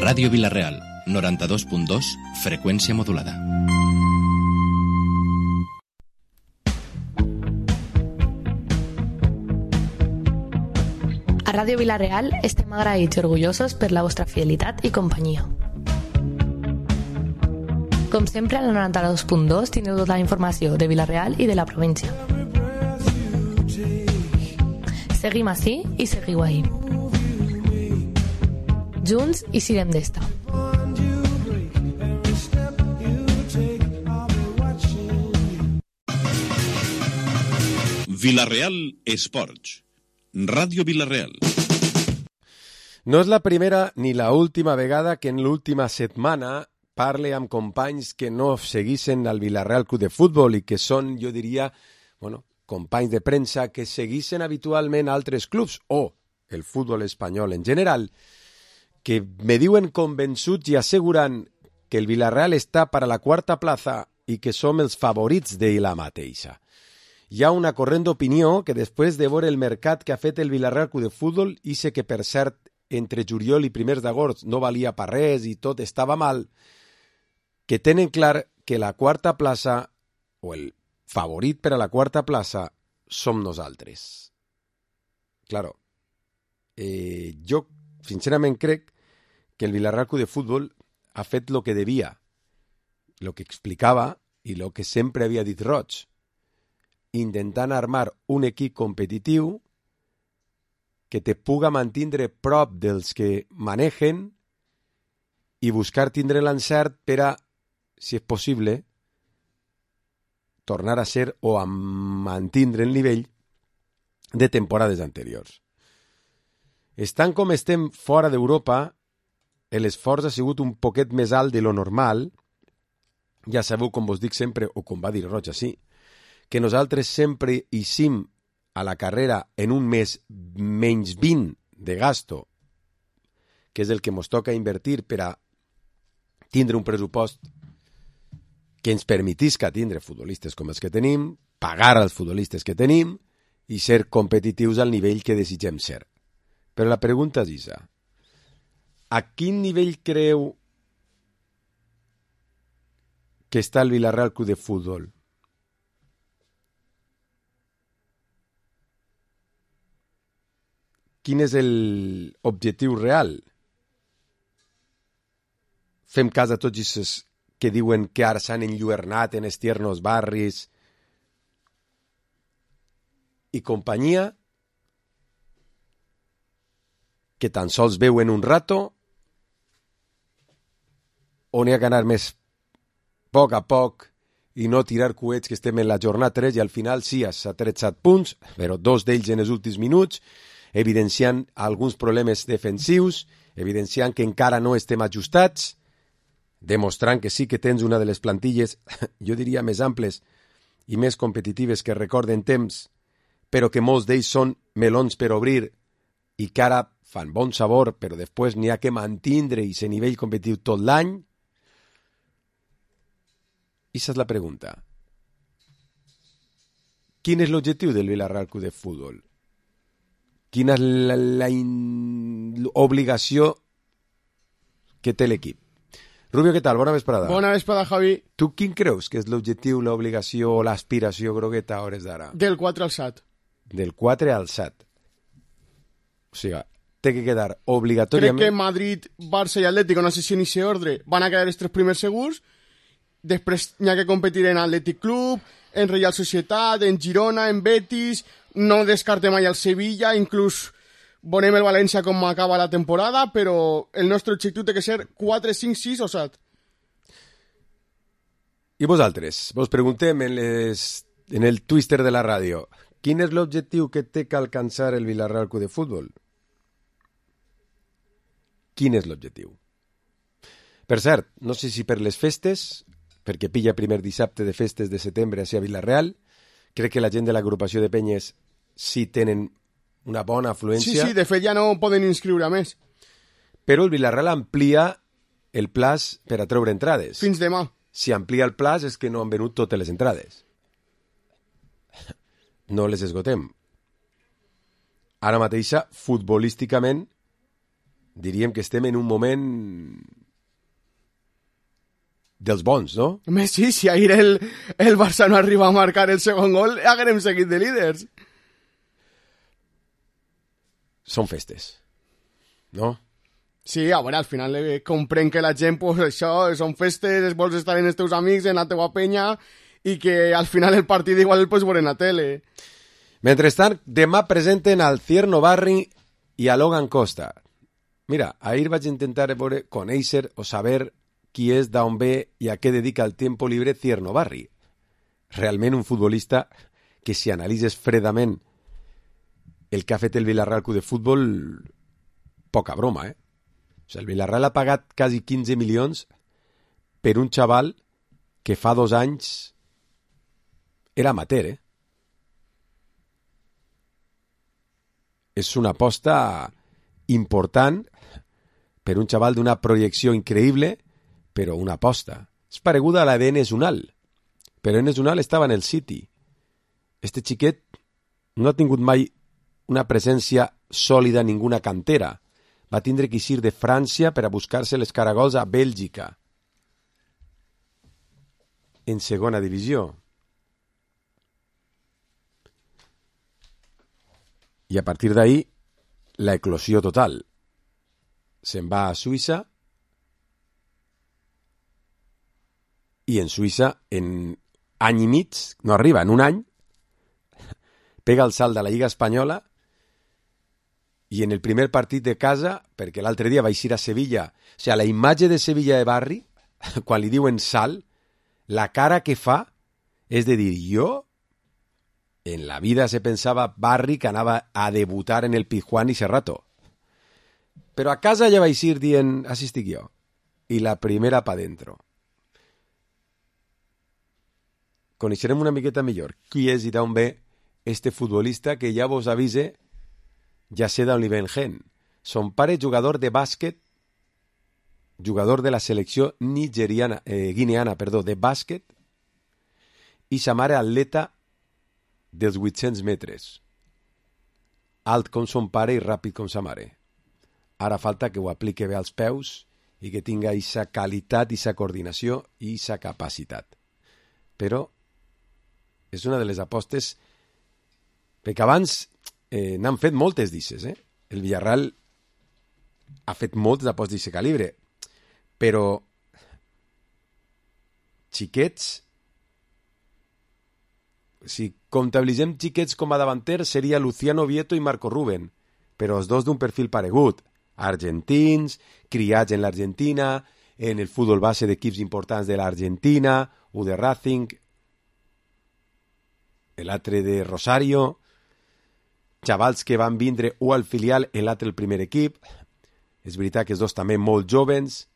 Ràdio Vila-real, 92.2, freqüència modulada. A Ràdio Vila-real estem agraïts i orgullosos per la vostra fidelitat i companyia. Com sempre, a la 92.2 tindreu tota la informació de Vila-real i de la província. Seguim ací i seguiu ahí. Junts i sirem d'esta. Vila-real Esports. Ràdio Vila-real. No és la primera ni la última vegada que en l'última setmana parle amb companys que no seguissin al Vila-real Club de Futbol i que són, jo diria, companys de premsa que seguissin habitualment altres clubs o el futbol espanyol en general, que me diuen convençuts i asseguran que el Vila-real està per a la quarta plaça i que som els favorits d'ella mateixa. Hi ha una corrent d'opinió que després de veure el mercat que ha fet el Vila-real Club de Futbol, i sé que per cert entre juliol i primers d'agost no valia per res i tot estava mal, que tenen clar que la quarta plaça o el favorit per a la quarta plaça som nosaltres. Claro, jo sincerament crec que el Vila-real Club de Futbol ha fet lo que devia, lo que explicava i lo que sempre havia dit Roig, intentant armar un equip competitiu que te puga mantindre prop dels que manegen i buscar tindre l'encert per a, si és possible, tornar a ser o a mantindre el nivell de temporades anteriors. Estant com estem fora d'Europa, l'esforç ha sigut un poquet més alt de lo normal. Ja sabeu, com vos dic sempre, o com va dir Roig així, que nosaltres sempre eixim a la carrera en un mes menys 20 de gasto, que és el que ens toca invertir per a tindre un pressupost que ens permetisca tindre futbolistes com els que tenim, pagar als futbolistes que tenim i ser competitius al nivell que desitgem ser. Però la pregunta és aquesta. A quin nivell creu que està el Vila-real Club de Futbol? Quin és l'objectiu real? Fem cas a tots aquests que diuen que ara s'han enlluernat en els tiernos barris i companyia, que tan sols veuen un rato, o n'hi ha que anar més poc a poc i no tirar coets que estem en la jornada 3 i al final sí, s'ha tret 7 punts, però 2 d'ells en els últims minuts, evidenciant alguns problemes defensius, evidenciant que encara no estem ajustats, demostrant que sí que tens una de les plantilles, jo diria, més amples i més competitives que recorden temps, però que molts d'ells són melons per obrir i que ara fan bon sabor, però després n'hi ha que mantindre i ser nivell competitiu tot l'any. Esa és la pregunta. Quin és l'objectiu del Vila-real Club de Futbol? Quina és l'obligació que té l'equip? Rubio, què tal? Bona vesprada. Bona vesprada, Javi. Tu quin creus que és l'objectiu, l'obligació o l'aspiració grogueta a hores d'ara? Del 4 al 7. Del 4 al 7. O sigui, té que quedar obligatòriament... Crec que Madrid, Barça i Atlético, no sé si en aquest ordre, van a quedar els 3 primers segurs. Després n'hi ha que competir en Athletic Club, en Real Societat, en Girona, en Betis. No descarte mai el Sevilla, inclús veurem el València com acaba la temporada, però el nostre objectiu té que ser 4, 5, 6 o 7. I vosaltres? Vos preguntem en el twister de la ràdio. Quin és l'objectiu que té que alcançar el Vila-real Club de Futbol? Quin és l'objectiu? Per cert, no sé si per les festes, perquè pilla primer dissabte de festes de setembre a Vila-real, crec que la gent de l'agrupació de penyes sí tenen una bona afluència. Sí, de fet ja no poden inscriure més. Però el Vila-real amplia el plaç per a treure entrades. Fins demà. Si amplia el plaç és que no han venut totes les entrades. No les esgotem. Ara mateixa, futbolísticament, diríem que estem en un moment dels bons, no? Home, sí, si ahir el Barça no arriba a marcar el segon gol, haguerem seguit de líders. Són festes, no? Sí, a veure, al final comprenc que la gent, pues això, són festes, vols estar amb els teus amics, en la teua penya, i que al final el partit igual el pots veure en la tele. Mentrestant, demà presenten al Cierno Barri i a Logan Costa. Mira, ahir vaig intentar conèixer o saber qui és, d'on ve i a què dedica el tiempo libre Cierno Barri. Realment un futbolista que, si analitzes fredament el que ha fet el Villarreal Club de Futbol, poca broma, eh? O sigui, el Villarreal ha pagat quasi 15 milions per un xaval que fa 2 anys era amateur, eh? És una aposta important per un xaval d'una projecció increïble, però una aposta. És pareguda a la d'Enes Unal, però Enes Unal estava en el City. Este xiquet no ha tingut mai una presència sòlida en ninguna cantera. Va tindre que eixir de França per a buscar-se les caragols a Bèlgica, en segona divisió. I a partir d'ahí, la eclosió total. Se'n va a Suïssa i en Suïssa, en any i mig, no arriba, en un any, pega el salt de la Lliga Espanyola i en el primer partit de casa, perquè l'altre dia va eixir a Sevilla, o sigui, la imatge de Sevilla de Barri, quan li diuen salt, la cara que fa és de dir, jo en la vida se pensava Barri que anava a debutar en el Pizjuán i Serrato. Però a casa ja va eixir dient, així estic jo. I la primera pa dentro. Coneixerem una miqueta millor qui és i d'on ve este futbolista que ja vos avise, ja sé d'on li ven gent. Son pare jugador de bàsquet, jugador de la selecció guineana, de bàsquet, i sa mare atleta dels 800 metres. Alt com son pare i ràpid com sa mare. Ara falta que ho aplique bé als peus i que tinga aquesta qualitat, aquesta coordinació i aquesta capacitat. Però és una de les apostes, perquè abans n'han fet moltes d'ixes, eh? El Villarreal ha fet moltes apostes d'aquest calibre, però xiquets, si comptabilitzem xiquets com a davanter, seria Luciano Vieto i Marco Ruben, però els dos d'un perfil paregut, argentins, criats en l'Argentina, en el futbol base d'equips importants de l'Argentina, u de Racing, l'altre de Rosario, xavals que van vindre u al filial i l'altre el primer equip. És veritat que els dos també molt jovens,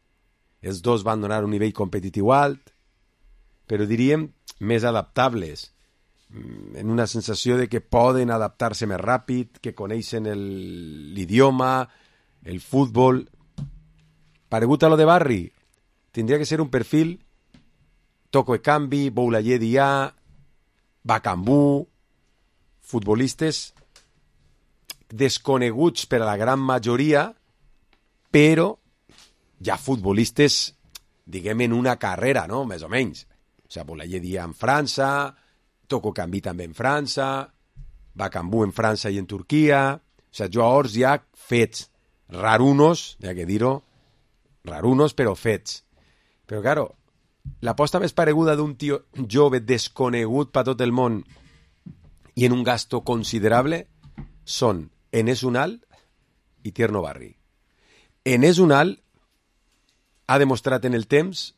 els dos van donar un nivell competitiu alt, però diríem més adaptables, en una sensació de que poden adaptar-se més ràpid, que coneixen l'idioma, el futbol. Paregut a lo de Barri, tindria que ser un perfil Toko Ekambi, Boulaye Dia, Bakambu, futbolistes desconeguts per a la gran majoria, però ja futbolistes, diguem, en una carrera, no? Més o menys. O sigui, Boulaye Dia en França, Toko Ekambi també en França, Bakambu en França i en Turquia. O sigui, jugadors ja fets, rarunos, hi ha que dir-ho, rarunos però fets. Però, claro, l'aposta més pareguda d'un tio jove desconegut per tot el món i en un gasto considerable són Enes Unal i Tierno Barri. Enes Unal ha demostrat en el temps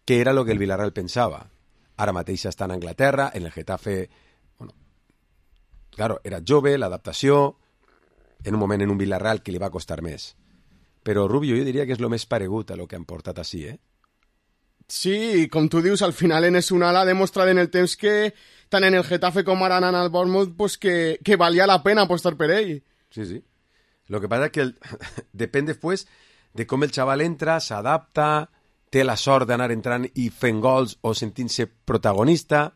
que era el que el Villarreal pensava. Ara mateix està en Anglaterra, en el Getafe, bueno, claro, era jove, l'adaptació, en un moment en un Villarreal que li va costar més. Però Rubio, jo diria que és el més paregut a lo que han portat així, eh? Sí, com tu dius, al final Enes Unal ha demostrat en el temps que tant en el Getafe com ara en el Bournemouth pues que valia la pena apostar per ell. Sí, sí. Lo que pasa es que depèn després de com el xaval entra, s'adapta, té la sort d'anar entrant i fent gols o sentint-se protagonista.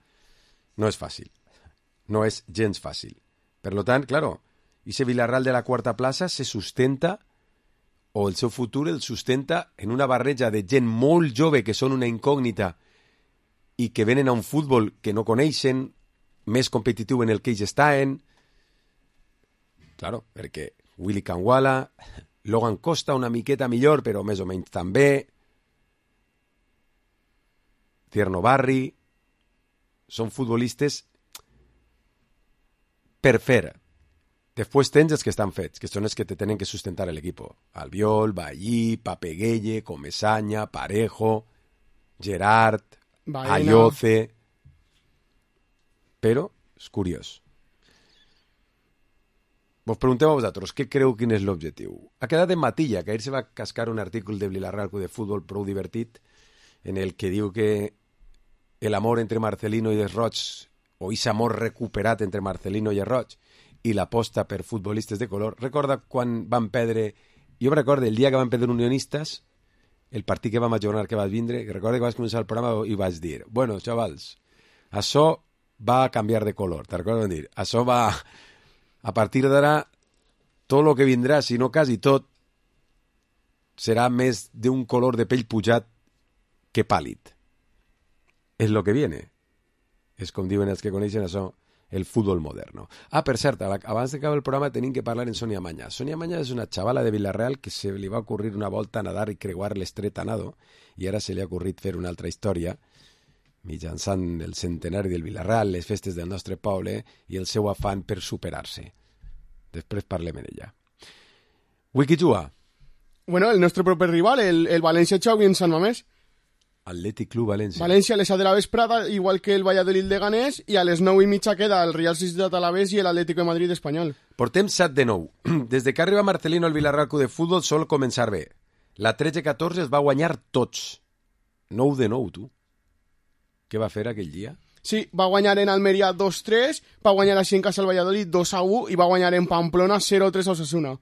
No és fàcil. No és gens fàcil. Per lo tant, claro, ese Villarreal de la quarta plaça se sustenta o el seu futur el sustenta en una barreja de gent molt jove que són una incògnita i que venen a un futbol que no coneixen, més competitiu en el que ells estan. Claro, perquè Willy Kangwala, Logan Costa una miqueta millor, però més o menys també, Tierno Barri, són futbolistes per fer. Després tens els que estan fets, que són els que te tenen que sustentar l'equip. Albiol, Ballí, Papeguelle, Comesaña, Parejo, Gerard, Ayoce... Però és curiós. Vos pregunteu a vosaltres, què creu quin és l'objectiu? Ha quedat en Matilla, que ahir se va cascar un article de Vilareal Club de Futbol prou divertit en el que diu que l'amor entre Marcelino i els Roig, o ese amor recuperat entre Marcelino i els Roig, i l'aposta per futbolistes de color. Recorda quan van perdre... Jo recordo el dia que van perdre Unionistes, el partit que vam ajornar que vas vindre, que recordo que vas començar el programa i vas dir, bueno, xavals, això va a canviar de color, te'n recordes dir? Això va... A partir d'ara, tot el que vindrà, si no quasi tot, serà més d'un color de pell pujat que pàl·lid. És el que viene. És com diuen els que coneixen això, el futbol moderno. Ah, per cert, abans d'acabar el programa tenim que parlar en Sonia Maña. Sonia Maña és una xavala de Vilareal que se li va ocurrir una volta a nadar i creuar l'estret a nado i ara se li ha ocorrit fer una altra història mitjançant el centenari del Vilareal, les festes del nostre poble i el seu afany per superar-se. Després parlem d'ella. Wiki juga. Bueno, el nostre proper rival, el València Xavi en Sant Mamés. Atlètic Club València. València a les 7 de la vesprada, igual que el Valladolid de Ganés, i a les 9:30 queda el Real Societat Alavés i l'Atlético de Madrid espanyol. Portem 7 de 9. Des de que arriba Marcelino al Vilareal Club de Futbol sol començar bé. La 13-14 es va guanyar tots. 9 de 9, tu. Què va fer aquell dia? Sí, va guanyar en Almeria 2-3, va guanyar així en casa al Valladolid 2-1 i va guanyar en Pamplona 0-3 a Osasuna.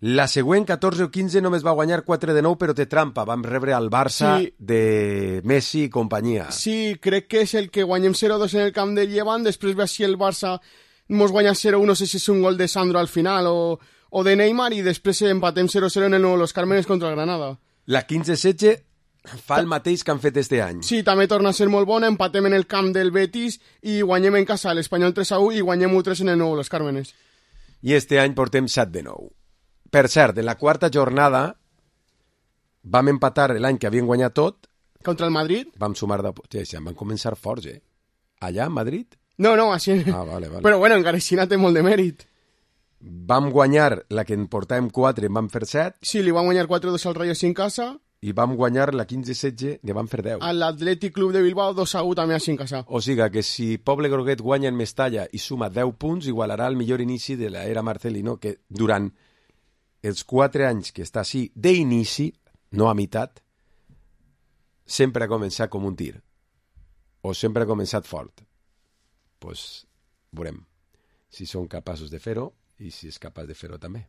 La següent, 14 o 15, només va guanyar 4 de 9, però té trampa. Vam rebre al Barça de Messi i companyia. Sí, crec que és el que guanyem 0-2 en el camp del Llevant, després ve així el Barça mos guanya 0-1, no sé si és un gol de Sandro al final o de Neymar, i després empatem 0-0 en el Nou Los Cármenes contra el Granada. La 15-16 fa el mateix que han fet este any. Sí, també torna a ser molt bona, empatem en el camp del Betis i guanyem en casa l'Espanyol 3-1 i guanyem 1-3 en el Nou Los Cármenes. I este any portem 7 de 9. Per cert, en la quarta jornada vam empatar l'any que havien guanyat tot. Contra el Madrid? Vam sumar de... Sí, van començar forts, eh? Allà, a Madrid? No, així... Ah, vale. Però bueno, encara així té molt de mèrit. Vam guanyar la que en portàvem 4 i en vam fer 7. Sí, li vam guanyar 4-2 al Rayo sin casa. I vam guanyar la 15-16 i vam fer 10. A l'Atlètic Club de Bilbao 2-1 també així en casa. O sigui que si Poble Groguet guanya en Mestalla i suma 10 punts, igualarà el millor inici de l'era Marcelino, que durant els 4 anys que està així d'inici, no a meitat, sempre ha començat com un tir. O sempre ha començat fort. Pues veurem si són capaços de fer-ho i si és capaç de fer-ho també.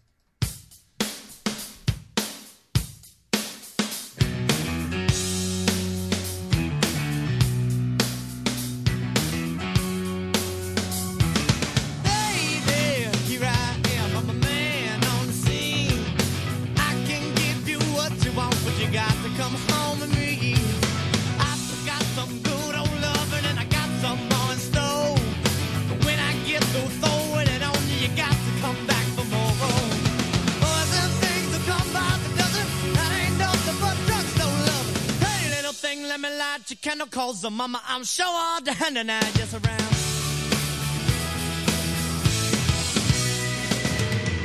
Calls the mama, I'm sure all the hand and I just around.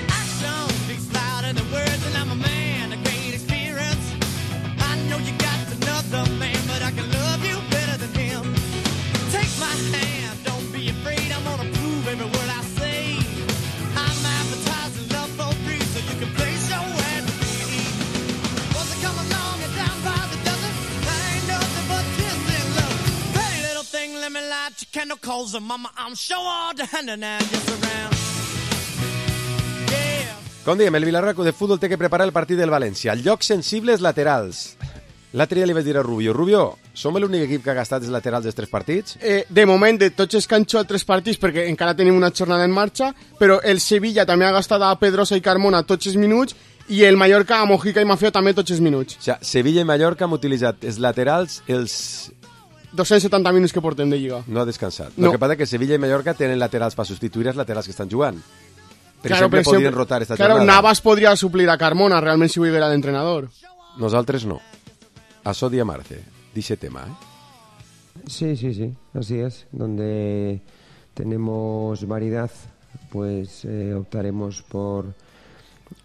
Action speaks louder than words, and I'm a man of great experience. I know you got another man, but I can love you better than him. Take my hand, don't be afraid, I'm gonna prove every word I say. I'm advertising love for free, so you can place your ad with me. Once I come along and down by the dozen, that ain't nothing but tears. Let me light your candle, calls her mama, I'm sure all the hand and I just around. Yeah. Com diem, el Vilareal Club de Futbol té que preparar el partit del València. Llocs sensibles laterals. L'altre dia li vaig dir a Rubio, som l'únic equip que ha gastat els laterals dels 3 partits? De moment, de tots els que han jugat 3 partits, perquè encara tenim una jornada en marxa, però el Sevilla també ha gastat a Pedrosa i Carmona tots els minuts, i el Mallorca, Mojica i Mafeo també tots els minuts. O sigui, Sevilla i Mallorca han utilitzat els laterals, els 270 minuts que portem de Lliga. no ha descansat. No. Lo que passa que Sevilla i Mallorca tenen laterals per substituir els laterals que estan jugant. Per Claro, exemple, podrien rotar esta claro, jornada. Navas podria suplir a Carmona, realment, si ho era l'entrenador. Nosaltres no. Això dia Marce, dice tema, ¿eh? Sí, así es. Donde tenemos variedad, pues optaremos por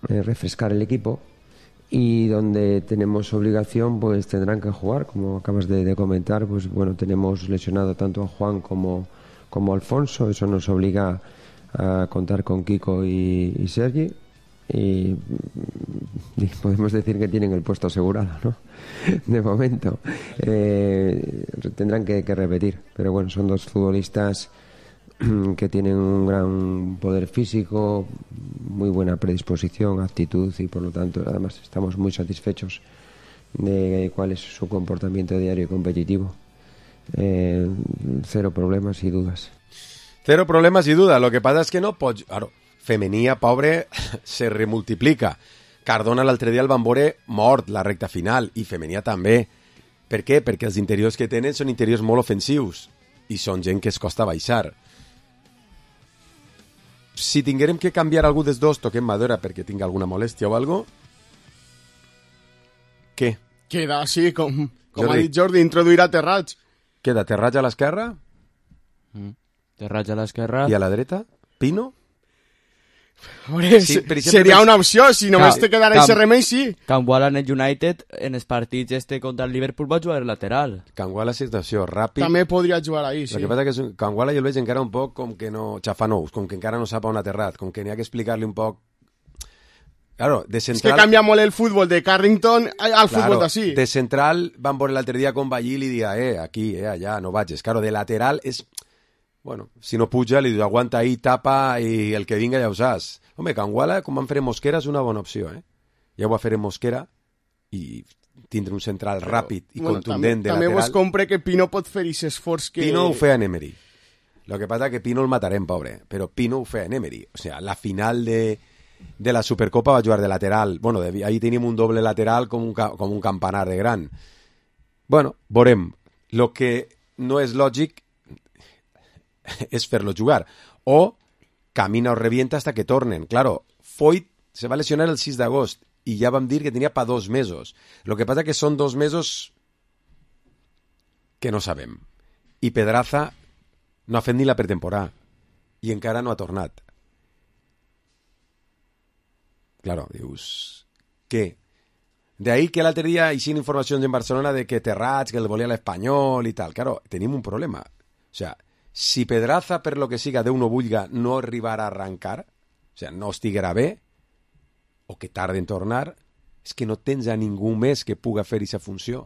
refrescar el equipo, y donde tenemos obligación, pues tendrán que jugar, como acabas de comentar. Pues bueno, tenemos lesionado tanto a Juan como a Alfonso. Eso nos obliga a contar con Kiko y Sergi, y podemos decir que tienen el puesto asegurado, ¿no? De momento. Tendrán que repetir, pero bueno, son dos futbolistas que tienen un gran poder físico, muy buena predisposición, actitud, y por lo tanto además estamos muy satisfechos de cuál es su comportamiento diario y competitivo. Cero problemas y dudas. Cero problemes i duda. Lo que passa és que no pots... Claro, Femenia, pobre, se remultiplica. Cardona l'altre dia el van veure mort, la recta final, i Femenia també. Per què? Perquè els interiors que tenen són interiors molt ofensius i són gent que es costa baixar. Si tinguérem que canviar algú dels dos, toquem Madura perquè tingui alguna molèstia o algo. Què? Queda així, com Jordi. ha dit Jordi, introduir a Terrats. Queda Terratge a l'esquerra Terratge a l'esquerra. i a la dreta Pino? Veure, Sí, per exemple, seria una opció, si només te quedara ese remei, sí. Cambuala en el United, en els partits contra el Liverpool va jugar lateral. Canguala situació ràpid. També podria jugar ahí, sí. El que passa que Canguala jo el veig encara un poc com que no... xafanous, com que encara no sap on ha aterrat, com que n'hi ha que explicar-li un poc... Claro, de És que central... canvia molt el futbol de Carrington al futbol d'ací. De central van veure l'altre dia con Ballil i dia, aquí, allà, no vagis. Claro, de lateral és... Bueno, si no puja, li diu, aguanta ahí, tapa, i el que vinga ja ho saps. Home, Canguala, com van fer Mosquera, és una bona opció, eh? Ja ho va fer en Mosquera, i tindre un central ràpid i contundent de també lateral. vos compre que Pino pot fer aquest esforç que... Pino ho feia en Emery. Lo que pasa que Pino el matarem, pobre, però Pino ho feia en Emery. O sea, la final de la Supercopa va jugar de lateral. Bueno, ahí teníem un doble lateral com un campanar de gran. Bueno, veurem. Lo que no és lògic és fer-lo jugar. O camina o revienta hasta que tornen. Claro, Foyt se va lesionar el 6 d'agost i ja vam dir que tenia pa 2 mesos. Lo que pasa que són 2 mesos que no sabem. I Pedraza no ha fet ni la pretemporada i encara no ha tornat. Claro, dius... Què? De ahí que l'altre dia hi siguin informacions en Barcelona de que Terrats, que el volia l'Espanyol i tal. Claro, tenim un problema. O sea, si Pedraza, per lo que siga, Déu no vulga, no arribarà a arrancar, o sea, no estiguerà bé, o que tarda en tornar, és que no tens a ningú més que puga fer aquesta funció.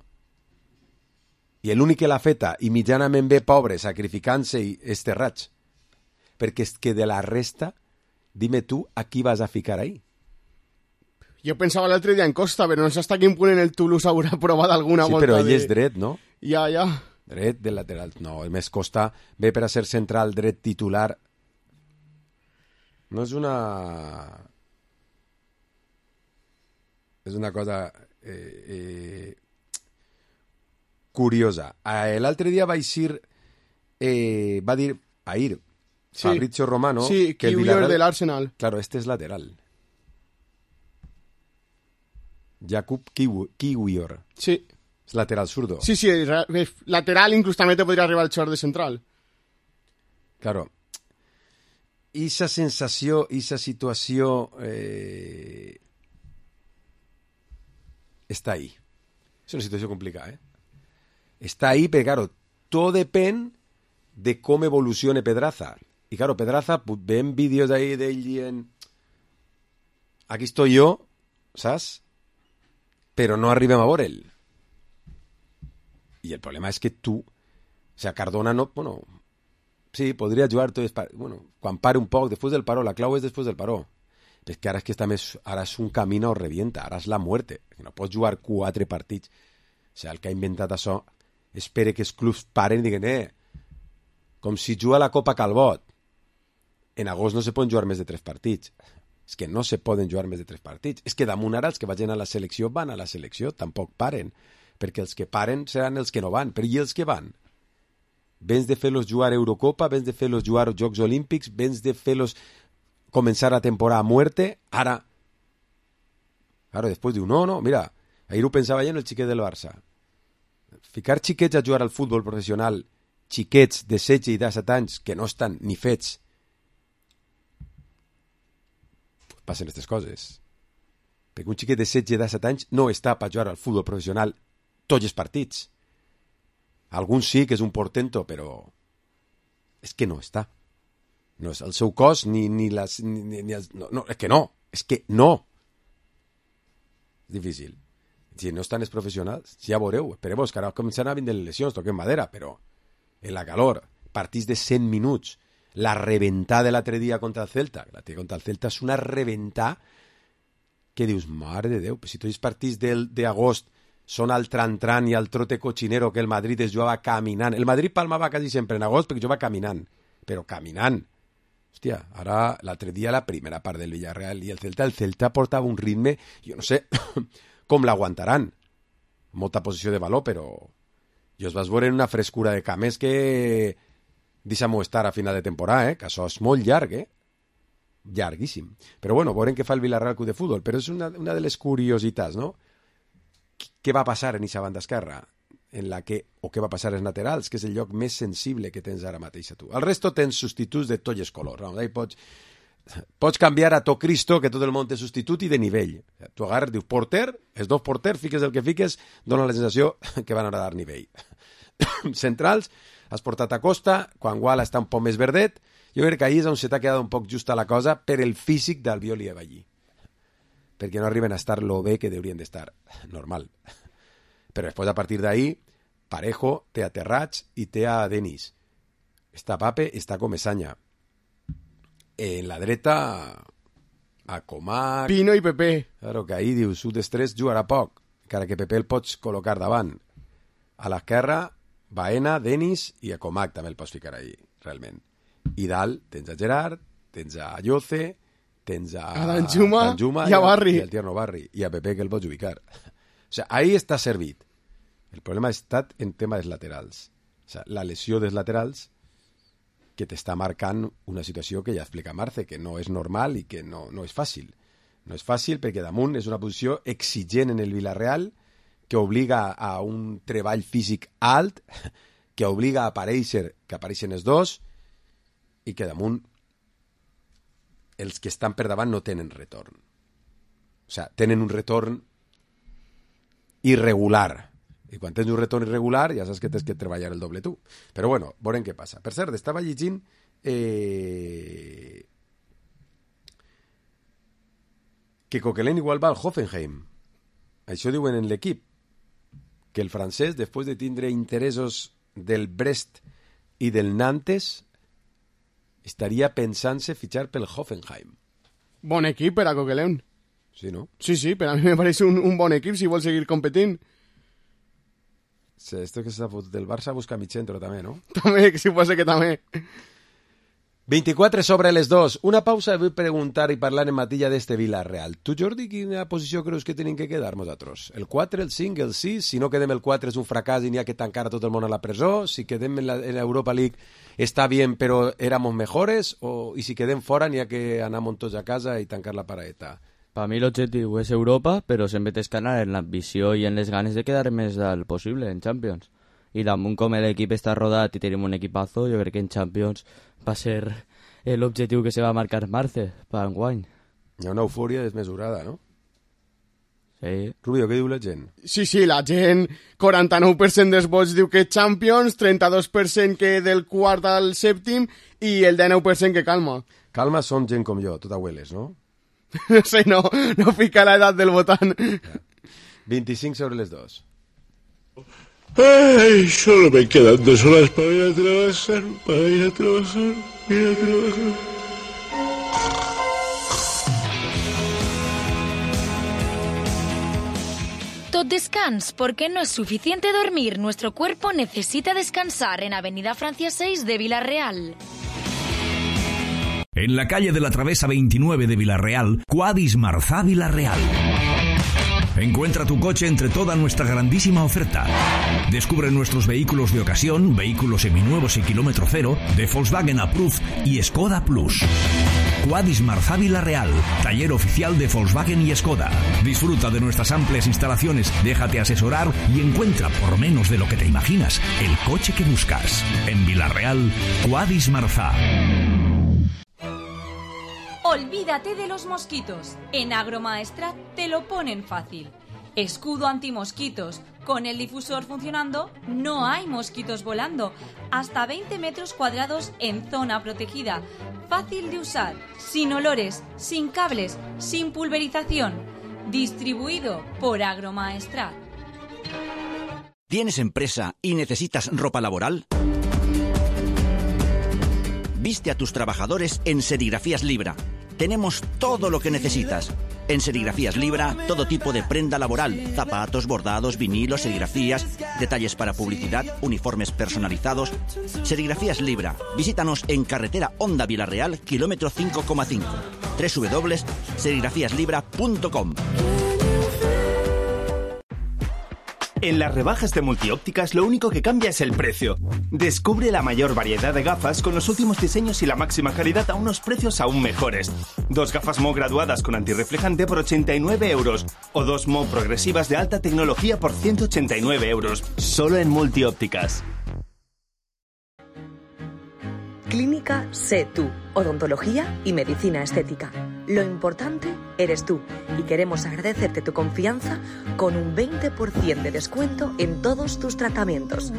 I l'únic que l'ha feta, i mitjanament bé pobre, sacrificant-se, és Terrats. Perquè és que de la resta, dime tu, a qui vas a ficar ahí? Jo pensava l'altre dia en Costa, però no sé hasta quin punt en el Toulouse haurà provat alguna Sí, volta però ell és dret, no? Ja. Dret de lateral. No, el més Costa ve per a ser central dret titular. No és una... És una cosa curiosa. L'altre dia va eixir... va dir ahir Sí. Fabrizio Romano Sí, que el Kiwior Villarreal... del Arsenal. Claro, este es lateral. Jakub Kiwior. Sí. És lateral zurdo. Sí, lateral inclús també te podria arribar el xor de central. Claro. Esa sensació, esa situació està ahí. És una situació complicada, Està ahí, però, claro, tot depèn de com evolucione Pedraza. I, claro, Pedraza, ven vídeos ahí d'ell dient aquí estoy yo, saps? Però no arribem a veure'l. I el problema és que tu, o sea, Cardona no, bueno, sí, podria jugar tot, bueno, quan pare un poc, després del paró, la clau és després del paró. Però és que ara és que està més, ara és un camino o revienta, ara és la muerte, que no pots jugar 4 partits. O sea, el que ha inventat això, espere que els clubs paren i diguen, com si juga la Copa Calbot. En agost no se poden jugar més de 3 partits. És que no se poden jugar més de 3 partits. És que damunt ara els que vagin a la selecció van a la selecció, tampoc paren. Perquè els que paren seran els que no van. Però i els que van? Vens de fer-los jugar Eurocopa, vens de fer-los jugar Jocs Olímpics, vens de fer-los començar la temporada a muerte, ara després diu, no, mira, ahir ho pensava ja en el xiquet del Barça. Ficar xiquets a jugar al futbol professional, xiquets de 16 i 17 anys que no estan ni fets, passen aquestes coses. Perquè un xiquet de 16 i 17 anys no està per jugar al futbol professional tots els partits. Alguns sí que és un portento, però és que no està. No és el seu cos ni les... No, és que no. És difícil. Si no estan els professionals, ja veureu. Espereu que ara començaran a vindre les lesions, toquem madera, però en la calor, partits de 100 minuts, la reventada de l'altre dia contra el Celta, és una reventada que dius, mare de Déu, si tots els partits d'agost són al tran-tran i al trote cochinero que el Madrid es jugava caminant. El Madrid palmava quasi sempre en agost perquè jugava caminant, però caminant. Hòstia, ara l'altre dia la primera part del Villarreal i el Celta portava un ritme, jo no sé com l'aguantaran. Molta posició de valor, però jo es vas veure en una frescura de cames que deixa-m'ho estar a final de temporada, que això és molt llarg, llarguíssim. Però bueno, veurem què fa el Villarreal Club de Futbol, però és una de les curiositats, no? Què va passar en aquesta banda esquerra? O què va passar als laterals, que és el lloc més sensible que tens ara mateix a tu. Al resto tens substituts de tots els colors. Pots canviar a tot Cristo, que tot el món té substitut i de nivell. Tu agarres, dius porter, els dos porters, fiques el que fiques, dona la sensació que van a dar nivell. Centrals, has portat a Costa, quan Guala està un poc més verdet. Jo crec que ahir és on se t'ha quedat un poc justa la cosa per el físic d'Albiol i Avallí. Perquè no arriben a estar lo bé que deurien d'estar. Normal. Però després, a partir d'ahí, Parejo té a Terrats i té a Denis. Està Pape, està Comesaña. En la dreta, a Comac... Pino i Pepe. Claro, que ahí dius, un dels tres jugarà poc, encara que Pepe el pots col·locar davant. A l'esquerra, Baena, Denis i a Comac també el pots ficar ahí, realment. I dalt tens a Gerard, tens a Lloce, tens a Danjuma i a Barri. I al Tierno Barri. I a Pepe que el pots ubicar. O sea, ahí està servit. El problema ha estat en tema dels laterals. O sea, la lesió dels laterals que t'està marcant una situació que ja explica Marce, que no és normal i que no és fàcil. No és fàcil perquè damunt és una posició exigent en el Villarreal que obliga a un treball físic alt, que obliga a aparèixer, que apareixen els dos, i que damunt els que estan per davant no tenen retorn. O sea, tenen un retorn irregular. I quan tens un retorn irregular ja saps que tens que treballar el doble tu. Però bueno, veurem què passa. Per cert, estava llegint que Coquelin igual va al Hoffenheim. Això diuen en l'equip. Que el francès, després de tindre interessos del Brest i del Nantes, estaria pensant-se fitxar pel Hoffenheim. Bon equip per a Coquelin. Sí, no? Sí, per a mi me pareix un bon equip si vol seguir competint. Sí, esto que s'ha fotut del Barça busca mig centre també, no? També, que si pot ser que també. 24 sobre les 2. Una pausa i vull preguntar i parlar en matilla d'este Villarreal. Tu, Jordi, quina posició creus que tenim que quedar nosaltres? El 4, el 5, el 6? Si no quedem el 4 és un fracàs i n'hi ha que tancar a tot el món a la presó? Si quedem en l'Europa League està bien però éramos mejores? I si quedem fora n'hi ha que anar tots a casa i tancar la paraeta? Para mí l'objectiu és Europa, però sempre tens que anar en l'ambició i en les ganes de quedar més dalt possible en Champions. I damunt com l'equip està rodat i tenim un equipazo, jo crec que en Champions va ser l'objectiu que se va marcar Marce per enguany. Hi ha una eufòria desmesurada, no? Sí. Rubio, què diu la gent? Sí, la gent, 49% dels vots diu que Champions, 32% que del quart al sèptim i el 19% que calma. Calma són gent com jo, tot abueles, no? No sé, no fica la edad del votant. 25 sobre les 2. Ay, solo me quedan 2 horas para ir a trabajar, Tot descans, porque no es suficiente dormir. Nuestro cuerpo necesita descansar en Avenida Francia 6 de Villarreal. En la calle de la Travesa 29 de Villarreal, Quadis Marzá Villarreal. Encuentra tu coche entre toda nuestra grandísima oferta. Descubre nuestros vehículos de ocasión, vehículos seminuevos y kilómetro cero, de Volkswagen Approved y Skoda Plus. Quadis Marzá Villarreal, taller oficial de Volkswagen y Skoda. Disfruta de nuestras amplias instalaciones, déjate asesorar y encuentra, por menos de lo que te imaginas, el coche que buscas. En Villarreal, Quadis Marzá. Olvídate de los mosquitos. En Agromaestrat te lo ponen fácil. Escudo antimosquitos. Con el difusor funcionando, no hay mosquitos volando. Hasta 20 metros cuadrados en zona protegida. Fácil de usar, sin olores, sin cables, sin pulverización. Distribuido por Agromaestrat. ¿Tienes empresa y necesitas ropa laboral? Viste a tus trabajadores en Serigrafías Libra. Tenemos todo lo que necesitas. En Serigrafías Libra, todo tipo de prenda laboral, zapatos, bordados, vinilos, serigrafías, detalles para publicidad, uniformes personalizados. Serigrafías Libra. Visítanos en carretera Honda Villarreal, kilómetro 5,5. www.serigrafíaslibra.com. En las rebajas de Multiópticas lo único que cambia es el precio. Descubre la mayor variedad de gafas con los últimos diseños y la máxima calidad a unos precios aún mejores. 2 gafas Mo graduadas con antirreflejante por 89 euros o 2 Mo progresivas de alta tecnología por 189 euros. Solo en Multiópticas. Clínica Sé Tú, odontología y medicina estética. Lo importante eres tú y queremos agradecerte tu confianza con un 20% de descuento en todos tus tratamientos.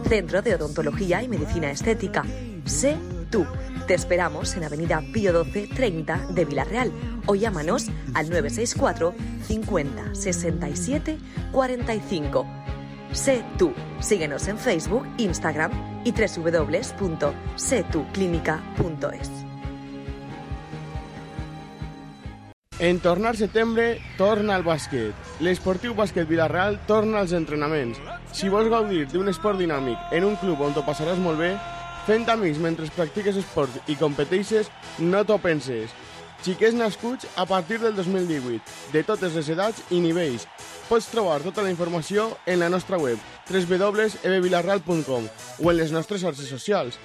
Centro de Odontología y Medicina Estética. Sé Tú. Te esperamos en Avenida Pío XII 30 de Villarreal o llámanos al 964 50 67 45. Sé Tú. Síguenos en Facebook, Instagram y www.setuclínica.es. En tornar setembre, torna al bàsquet. L'Esportiu Bàsquet Villarreal torna als entrenaments. Si vols gaudir d'un esport dinàmic en un club on t'ho passaràs molt bé, fent amics mentre practiques esport i competeixes, no t'ho penses. Xiquets nascuts a partir del 2018, de totes les edats i nivells. Pots trobar tota la informació en la nostra web www.ebvillarreal.com o en les nostres xarxes socials.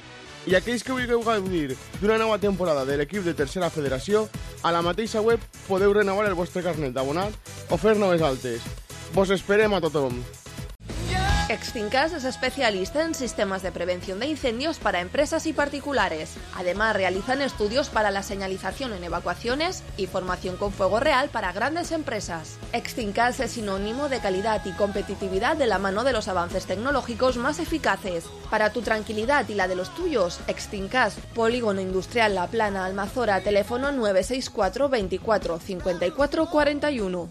I aquells que vulgueu gaudir d'una nova temporada de l'equip de tercera federació, a la mateixa web podeu renovar el vostre carnet d'abonat o fer noves altes. Vos esperem a tothom. Extincas es especialista en sistemas de prevención de incendios para empresas y particulares. Además, realizan estudios para la señalización en evacuaciones y formación con fuego real para grandes empresas. Extincas es sinónimo de calidad y competitividad de la mano de los avances tecnológicos más eficaces. Para tu tranquilidad y la de los tuyos, Extincas, Polígono Industrial La Plana, Almazora, teléfono 964 24 54 41.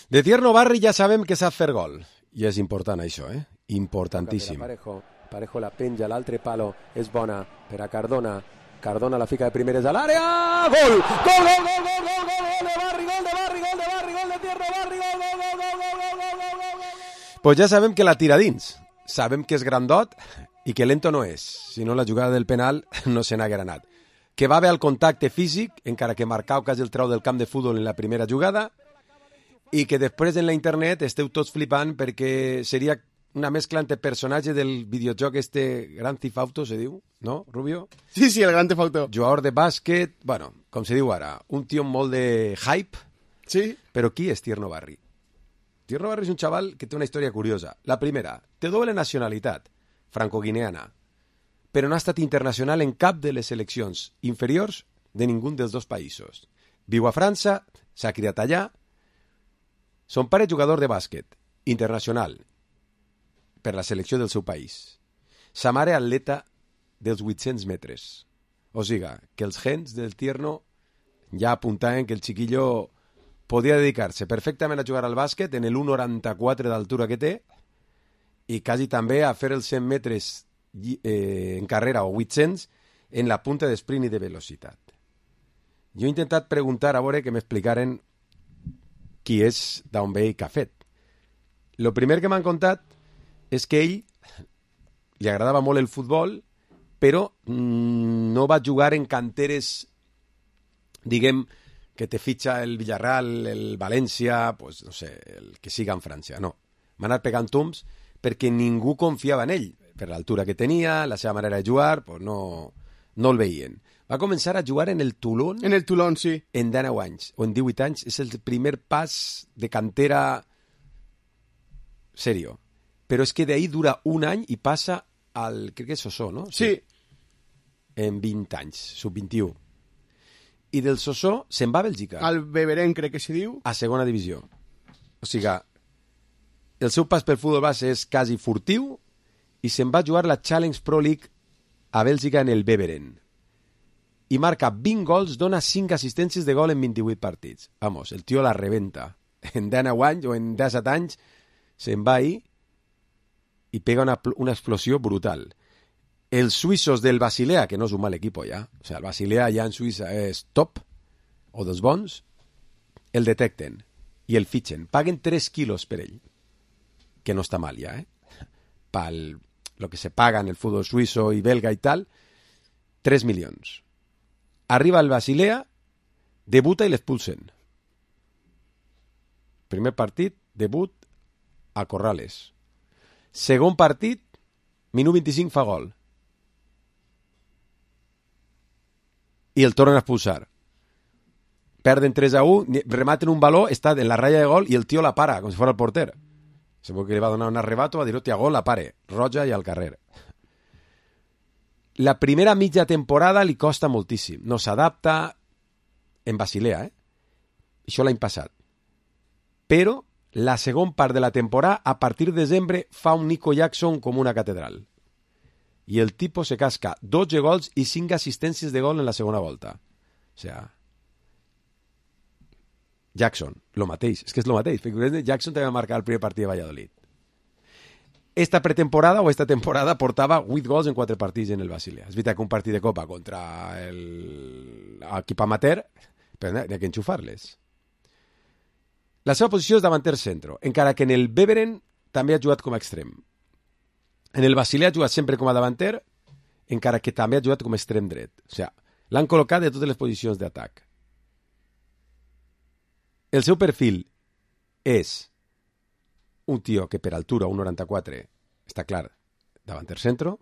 De Tierno Barri ja sabem que sap fer gol. I és important això, importantíssim. Parejo la penja, l'altre palo és bona per a Cardona. Cardona la fica de primeres a l'àrea. Gol! Gol, gol, gol, gol, gol, gol, gol de Barri, gol de Barri, gol de Barri, gol de Tierno Barri, gol, gol, gol, gol, gol, gol, gol, gol. Pues ja sabem que la tira dins. Sabem que és grandot i que lento no és. Si no, la jugada del penal no se n'haguera anat. Que va bé al contacte físic, encara que Marcau quasi el trau del camp de futbol en la primera jugada, i que després en la internet esteu tots flipant perquè seria una mescla entre personatge del videojoc Grand Theft Auto, se diu, no, Rubio? Sí, sí, el Grand Theft Auto. Jugador de bàsquet, bueno, com se diu ara, un tio molt de hype. Sí. Però qui és Tierno Barri? Tierno Barri és un xaval que té una història curiosa. La primera, té doble nacionalitat, franco-guineana, però no ha estat internacional en cap de les seleccions inferiors de ningú dels dos països. Viu a França, s'ha criat allà. Son pare jugador de bàsquet, internacional, per la selecció del seu país. Sa mare atleta dels 800 metres. O sigui, que els gens del Tierno ja apuntaven que el chiquillo podia dedicar-se perfectament a jugar al bàsquet en el 1,94 d'altura que té i quasi també a fer els 100 metres en carrera o 800 en la punta d'esprint i de velocitat. Jo he intentat preguntar a veure que m'explicaren qui és, d'on ve i què ha fet. El primer que m'han contat és que ell li agradava molt el futbol però no va jugar en canteres, diguem, que te fitxa el Villarreal, el València, pues, no sé, el que siga en França. No, va anar pegant tombs perquè ningú confiava en ell, per l'altura que tenia, la seva manera de jugar, pues no el veien. Va començar a jugar en el Toulon. En el Toulon, sí. En 19 anys, o en 18 anys. És el primer pas de cantera serio. Però és que d'ahí dura un any i passa al, crec que és Sossó, no? Sí. En 20 anys, sub-21. I del Sossó se'n va a Bèlgica. Al Beveren, crec que se diu. A segona divisió. O sigui, el seu pas pel futbol base és quasi furtiu i se'n va jugar la Challenge Pro League a Bèlgica en el Beveren. I marca 20 gols, dona 5 assistències de gol en 28 partits. Vamos, el tio la rebenta. En 19 anys o en 17 anys se'n va ahí i pega una explosió brutal. Els suïssos del Basilea, que no és un mal equip ja, o sigui, el Basilea ja en Suïssa és top, o dels bons, el detecten i el fitxen. Paguen 3 quilos per ell, que no està mal ja, Pel lo que se paga en el fútbol suizo y belga y tal, 3 milions. Arriba el Basilea, debuta i l'expulsen. Primer partit, debut a Corrales. Segon partit, minut 25 fa gol. I el tornen a expulsar. Perden 3-1, rematen un baló, està en la ratlla de gol i el tio la para, com si fos el porter. Segur que li va donar un arrebato, va dir, hòstia, gol, la pare, roja i al carrer. La primera mitja temporada li costa moltíssim. No s'adapta en Basilea, Això l'any passat. Però la segon part de la temporada, a partir de desembre, fa un Nico Jackson com una catedral. I el tipus se casca 12 gols i 5 assistències de gol en la segona volta. O sigui, Jackson, lo mateix. És que és lo mateix. Jackson també va marcar el primer partit de Valladolid. Esta pretemporada o esta temporada portava 8 gols en 4 partits en el Basilea. És veritat que un partit de Copa contra l'equip amateur, però n'hi ha que enxufar-les. La seva posició és davanter centro, encara que en el Beveren també ha jugat com a extrem. En el Basilea ha jugat sempre com a davanter, encara que també ha jugat com a extrem dret. O sigui, l'han col·locat de totes les posicions d'atac. El seu perfil és un tio que per altura, 1,94, està clar, davanter centro,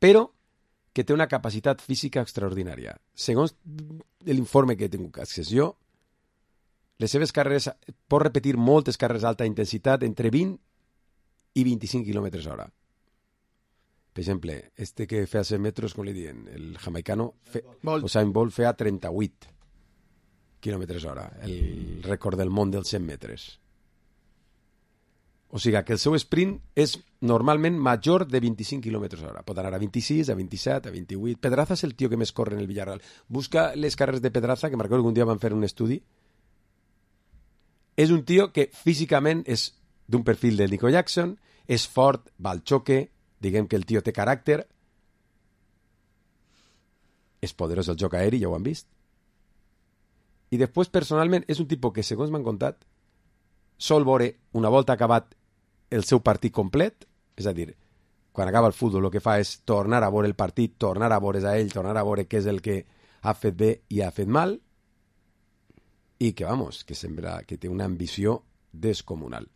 però que té una capacitat física extraordinària. Segons l'informe que tinc accés jo, les seves carreres, pot repetir moltes carreres d'alta intensitat entre 20 i 25 km hora. Per exemple, este que feia 100 metres, com li diuen, el jamaicano, Usain Bolt feia 38 km hora, el rècord del món dels 100 metres. O sigui que el seu sprint és normalment major de 25 km hora. Pot anar a 26, a 27, a 28. Pedraza és el tio que més corre en el Villarreal. Busca les carreres de Pedraza, que recordo que un dia van fer un estudi. És un tio que físicament és d'un perfil del Nico Jackson, és fort, va al xoque, diguem que el tio té caràcter, és poderós el joc aeri, ja ho han vist. I després, personalment, és un tipus que, segons m'han contat, sol veure, una volta acabat el seu partit complet, és a dir, quan acaba el futbol el que fa és tornar a veure el partit, tornar a veure's a ell, tornar a veure què és el que ha fet bé i ha fet mal, i que, vamos, que sembla que té una ambició descomunal.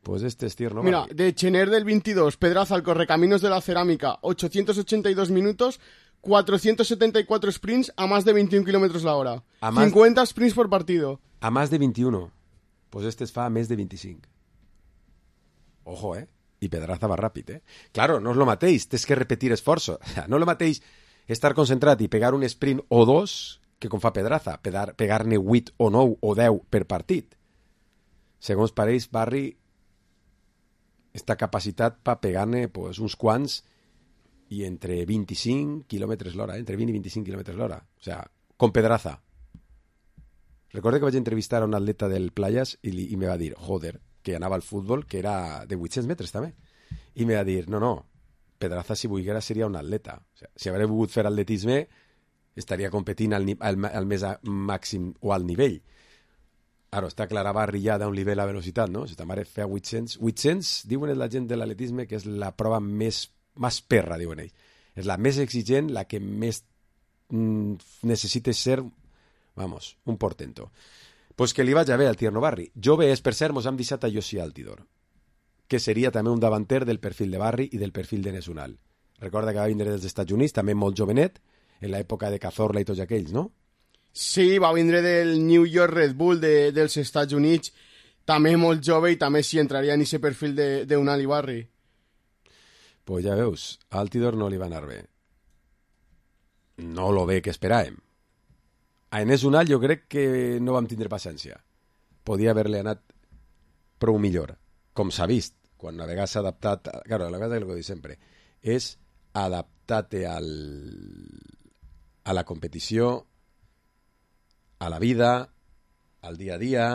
Pues este estir no. Mira, de Chener del 22, Pedraza al Correcaminos de la Cerámica, 882 minutos, 474 sprints a más de 21 kilómetros la hora. 50 sprints por partido. A más de 21. Pues este es fa a més de 25. Ojo, I Pedraza va ràpid, Claro, no és lo mateix, tens que repetir esforços. No és lo mateix estar concentrat i pegar un sprint o dos que com fa Pedraza, pegar-ne 8 o 9 o 10 per partit. Segons pareix, Barri està capacitat per pegar-ne pues, uns quants i entre 25 km l'hora, entre 20 i 25 km l'hora. O sigui, com Pedraza. Recordo que vaig entrevistar a un atleta del Playas i me va dir, joder, que anava al futbol, que era de 800 metres també. I me va dir, no, Pedraza si volguera seria un atleta. O sigui, si hagués volgut fer atletisme, estaria competint al més màxim o al nivell. Ara, està clar, a Barri ja d'un nivell a velocitat, no? Si ta mare feia 800, diuen la gent de l'atletisme que és la prova més perra, diuen ells. És la més exigent, la que més necessita ser, vamos, un portento. Pues que li vaig a bé al Tierno Barri. Jove és, per cert, mos hem deixat a Josi Altidor, que seria també un davanter del perfil de Barri i del perfil de Nesunal. Recorda que va vindre dels Estats Units, també molt jovenet, en l'època de Cazorla i tots aquells, no? Sí, va vindre del New York Red Bull dels Estats Units, també molt jove i també sí entraria en aquest perfil d'Unal i Barri. Pues ja veus, a Altidor no li va anar bé. No lo bé que esperàvem. A Enes Unal jo crec que no vam tindre paciència. Podia haver-li anat prou millor. Com s'ha vist, quan a vegades s'ha adaptat... Claro, la vegada que ho dic sempre és adaptar-te a la competició, a la vida, al dia a dia,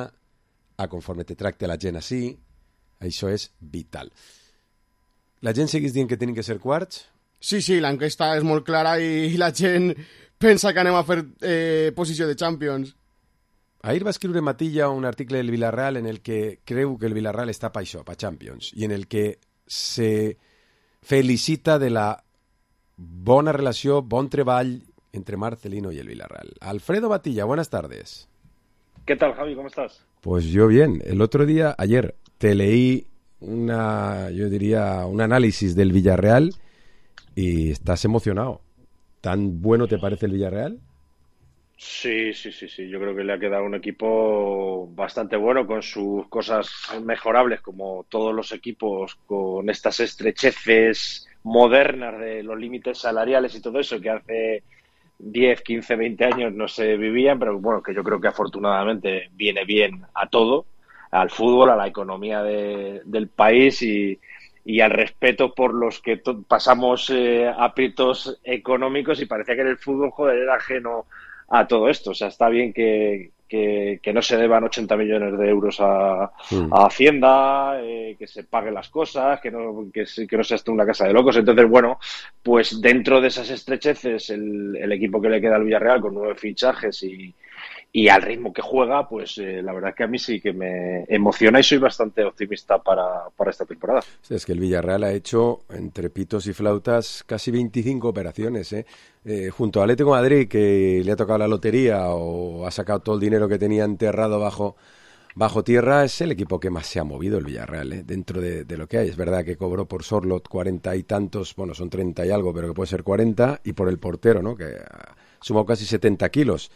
a conforme te tracta la gent així. Això és vital. La gent segueix dient que tenen que ser quarts? Sí, l'enquesta és molt clara i la gent pensa que anem a fer posició de Champions. Ahir va escriure Matilla un article del Villarreal en el que creu que el Villarreal està per això, per Champions, i en el que se felicita de la bona relació, bon treball entre Marcelino y el Villarreal. Alfredo Matilla, buenas tardes. ¿Qué tal, Javi? ¿Cómo estás? Pues yo bien. El otro día, ayer, te leí un análisis del Villarreal y estás emocionado. ¿Tan bueno te parece el Villarreal? Sí. Yo creo que le ha quedado un equipo bastante bueno con sus cosas mejorables, como todos los equipos, con estas estrecheces modernas de los límites salariales y todo eso que hace 10, 15, 20 años no se vivían, pero bueno, que yo creo que afortunadamente viene bien a todo, al fútbol, a la economía del país y al respeto por los que pasamos aprietos económicos, y parecía que en el fútbol, joder, era ajeno a todo esto. O sea, está bien que no se deban 80 millones de euros a Hacienda, que se paguen las cosas, que no sea esto una casa de locos. Entonces, bueno, pues dentro de esas estrecheces, el equipo que le queda al Villarreal con 9 fichajes y al ritmo que juega, pues la verdad que a mí sí que me emociona y soy bastante optimista para esta temporada. Sí, es que el Villarreal ha hecho, entre pitos y flautas, casi 25 operaciones, junto al Atlético de Madrid, que le ha tocado la lotería o ha sacado todo el dinero que tenía enterrado bajo tierra. Es el equipo que más se ha movido, el Villarreal, dentro de lo que hay. Es verdad que cobró por Sorlot 40 y tantos, bueno, son 30 y algo, pero que puede ser 40, y por el portero, ¿no?, que ha sumado casi 70 kilos.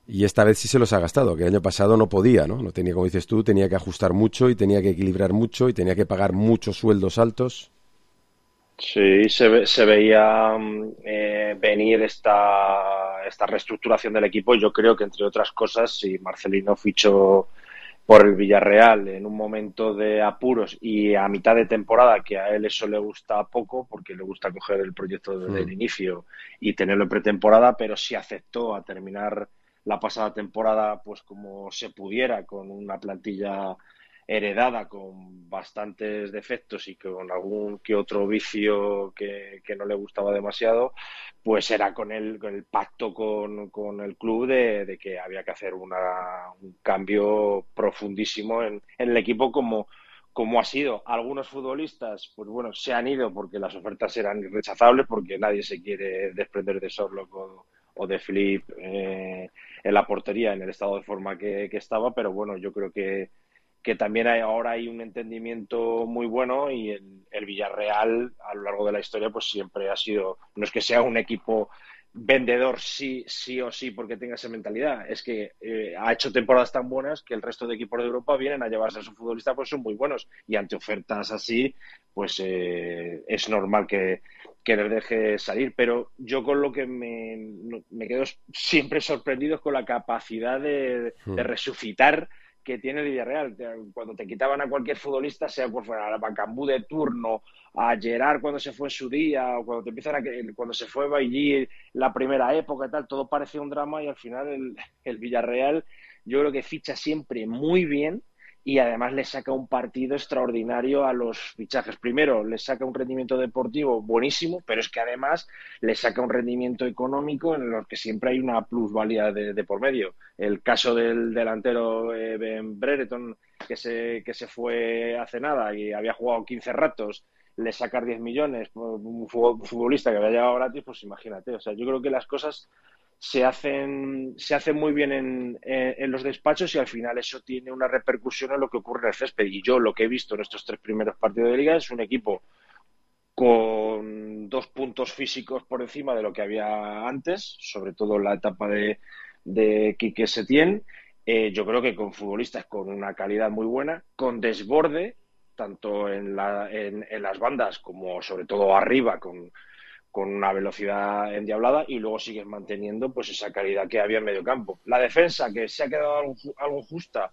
Y esta vez sí se los ha gastado, que el año pasado no podía, ¿no? No tenía, como dices tú, tenía que ajustar mucho y tenía que equilibrar mucho y tenía que pagar muchos sueldos altos. Sí, se veía venir esta reestructuración del equipo. Yo creo que, entre otras cosas, si Marcelino fichó por el Villarreal en un momento de apuros y a mitad de temporada, que a él eso le gusta poco, porque le gusta coger el proyecto desde el inicio y tenerlo en pretemporada, pero sí aceptó a terminar la pasada temporada pues como se pudiera, con una plantilla heredada con bastantes defectos y con algún que otro vicio que no le gustaba demasiado, pues era con el pacto con el club de que había que hacer un cambio profundísimo en el equipo, como ha sido. Algunos futbolistas, pues bueno, se han ido porque las ofertas eran irrechazables, porque nadie se quiere desprender de Sorloth o de Filip en la portería, en el estado de forma que estaba, pero bueno, yo creo que también ahora hay un entendimiento muy bueno, y el Villarreal a lo largo de la historia pues siempre ha sido, no es que sea un equipo vendedor sí o sí porque tenga esa mentalidad, es que ha hecho temporadas tan buenas que el resto de equipos de Europa vienen a llevarse a su futbolista, pues son muy buenos, y ante ofertas así pues es normal que les deje salir. Pero yo con lo que me quedo siempre sorprendido es con la capacidad de resucitar que tiene el Villarreal. Cuando te quitaban a cualquier futbolista, sea por fuera, a Bacambú de turno, a Gerard cuando se fue en su día, o cuando se fue Bailly la primera época y tal, todo parecía un drama, y al final el Villarreal yo creo que ficha siempre muy bien y además le saca un partido extraordinario a los fichajes. Primero, le saca un rendimiento deportivo buenísimo, pero es que además le saca un rendimiento económico en el que siempre hay una plusvalía de por medio. El caso del delantero Ben Brereton, que se fue hace nada y había jugado 15 ratos, le sacar 10 millones, un futbolista que había llegado gratis, pues imagínate. O sea, yo creo que las cosas se hacen muy bien en los despachos y al final eso tiene una repercusión en lo que ocurre en el césped. Y yo lo que he visto en estos 3 primeros partidos de liga es un equipo con 2 puntos físicos por encima de lo que había antes, sobre todo en la etapa de Quique Setién. Yo creo que con futbolistas con una calidad muy buena, con desborde, tanto en las bandas como sobre todo arriba, con una velocidad endiablada, y luego sigues manteniendo pues esa calidad que había en medio campo. La defensa, que se ha quedado algo justa,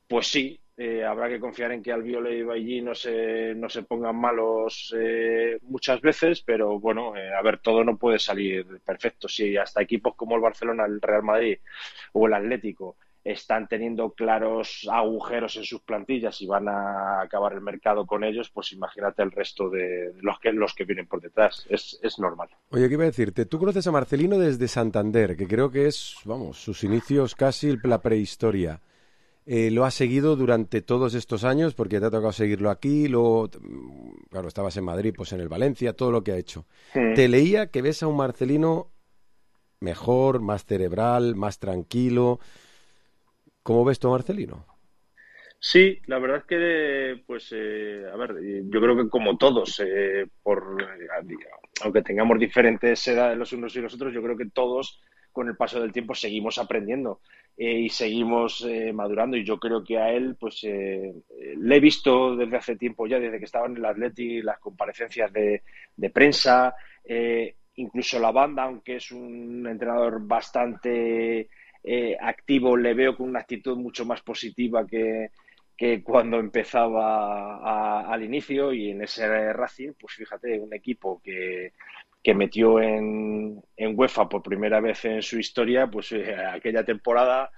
pues sí, habrá que confiar en que Albiol y Bailly no se pongan malos muchas veces, pero bueno, a ver, todo no puede salir perfecto. Si hasta equipos como el Barcelona, el Real Madrid o el Atlético están teniendo claros agujeros en sus plantillas y van a acabar el mercado con ellos, pues imagínate el resto de los que vienen por detrás. Es normal. Oye, ¿qué iba a decirte? Tú conoces a Marcelino desde Santander, que creo que es, sus inicios casi la prehistoria. Lo has seguido durante todos estos años porque te ha tocado seguirlo aquí, luego, claro, estabas en Madrid, pues en el Valencia, todo lo que ha hecho. Te leía que ves a un Marcelino mejor, más cerebral, más tranquilo. ¿Cómo ves tú a Marcelino? Sí, la verdad es que, pues, a ver, yo creo que como todos, aunque tengamos diferentes edades los unos y los otros, yo creo que todos, con el paso del tiempo, seguimos aprendiendo y seguimos madurando. Y yo creo que a él, pues, le he visto desde hace tiempo ya, desde que estaba en el Atleti, las comparecencias de prensa, incluso la banda, aunque es un entrenador bastante activo, le veo con una actitud mucho más positiva que cuando empezaba al inicio. Y en ese Racing, pues fíjate, un equipo que metió en UEFA por primera vez en su historia, pues aquella temporada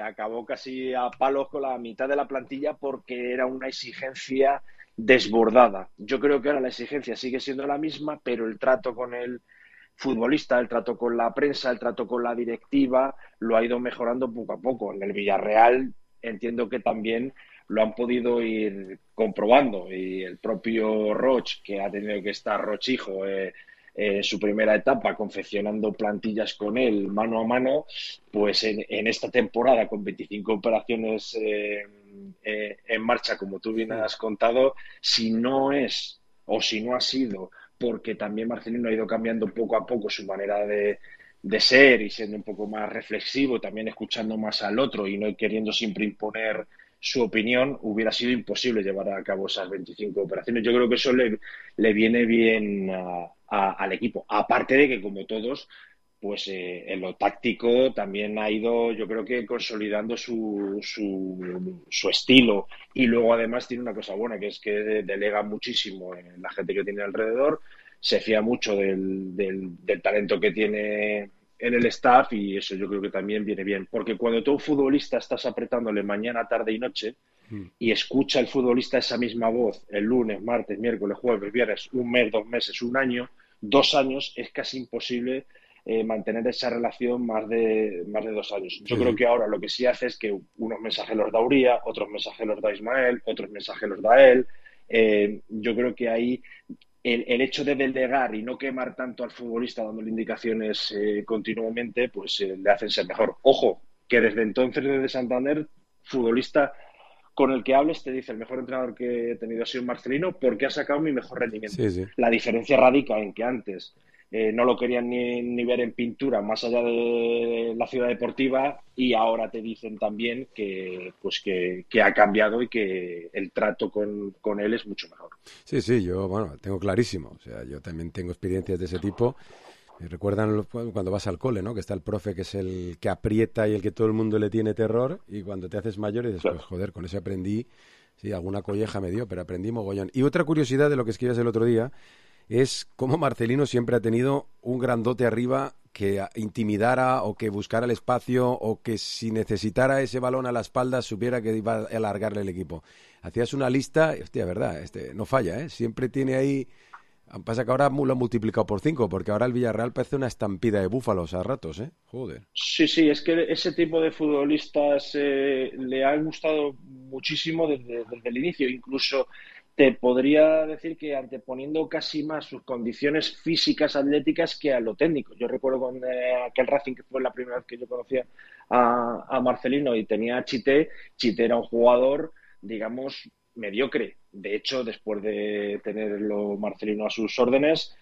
acabó casi a palos con la mitad de la plantilla porque era una exigencia desbordada. Yo creo que ahora la exigencia sigue siendo la misma, pero el trato con el futbolista, el trato con la prensa, el trato con la directiva, lo ha ido mejorando poco a poco. En el Villarreal entiendo que también lo han podido ir comprobando, y el propio Roch, que ha tenido que estar Rochijo en su primera etapa confeccionando plantillas con él mano a mano, pues en esta temporada con 25 operaciones en marcha, como tú bien has contado, si no ha sido porque también Marcelino ha ido cambiando poco a poco su manera de ser y siendo un poco más reflexivo, también escuchando más al otro y no queriendo siempre imponer su opinión, hubiera sido imposible llevar a cabo esas 25 operaciones. Yo creo que eso le viene bien al equipo. Aparte de que, como todos, pues en lo táctico también ha ido, yo creo que consolidando su estilo. Y luego además tiene una cosa buena, que es que delega muchísimo en la gente que tiene alrededor, se fía mucho del talento que tiene en el staff, y eso yo creo que también viene bien. Porque cuando tú, un futbolista, estás apretándole mañana, tarde y noche, y escucha el futbolista esa misma voz el lunes, martes, miércoles, jueves, viernes, un mes, 2 meses, un año, 2 años, es casi imposible mantener esa relación más de 2 años. Yo creo que ahora lo que sí hace es que unos mensajes los da Uría, otros mensajes los da Ismael, otros mensajes los da él. Yo creo que ahí el hecho de delegar y no quemar tanto al futbolista dándole indicaciones continuamente, pues le hacen ser mejor. Ojo, que desde entonces, desde Santander, futbolista con el que hables te dice: el mejor entrenador que he tenido ha sido Marcelino porque ha sacado mi mejor rendimiento. Sí, sí. La diferencia radica en que antes no lo querían ni ver en pintura más allá de la ciudad deportiva, y ahora te dicen también que ha cambiado y que el trato con él es mucho mejor. Sí, yo, tengo clarísimo. O sea, yo también tengo experiencias de ese tipo. Me recuerdan cuando vas al cole, ¿no? Que está el profe que es el que aprieta y el que todo el mundo le tiene terror, y cuando te haces mayor y dices, pues joder, con ese aprendí, sí, alguna colleja me dio, pero aprendí mogollón. Y otra curiosidad de lo que escribías el otro día es cómo Marcelino siempre ha tenido un grandote arriba que intimidara o que buscara el espacio o que si necesitara ese balón a la espalda supiera que iba a alargarle el equipo. Hacías una lista, hostia, verdad, no falla, ¿eh? Siempre tiene ahí... Pasa que ahora lo han multiplicado por 5, porque ahora el Villarreal parece una estampida de búfalos a ratos, ¿eh? Joder. Sí, es que ese tipo de futbolistas le han gustado muchísimo desde el inicio. Incluso te podría decir que anteponiendo casi más sus condiciones físicas, atléticas, que a lo técnico. Yo recuerdo con aquel Racing, que fue la primera vez que yo conocía a Marcelino y tenía a Chité. Chité era un jugador, digamos, mediocre. De hecho, después de tenerlo Marcelino a sus órdenes,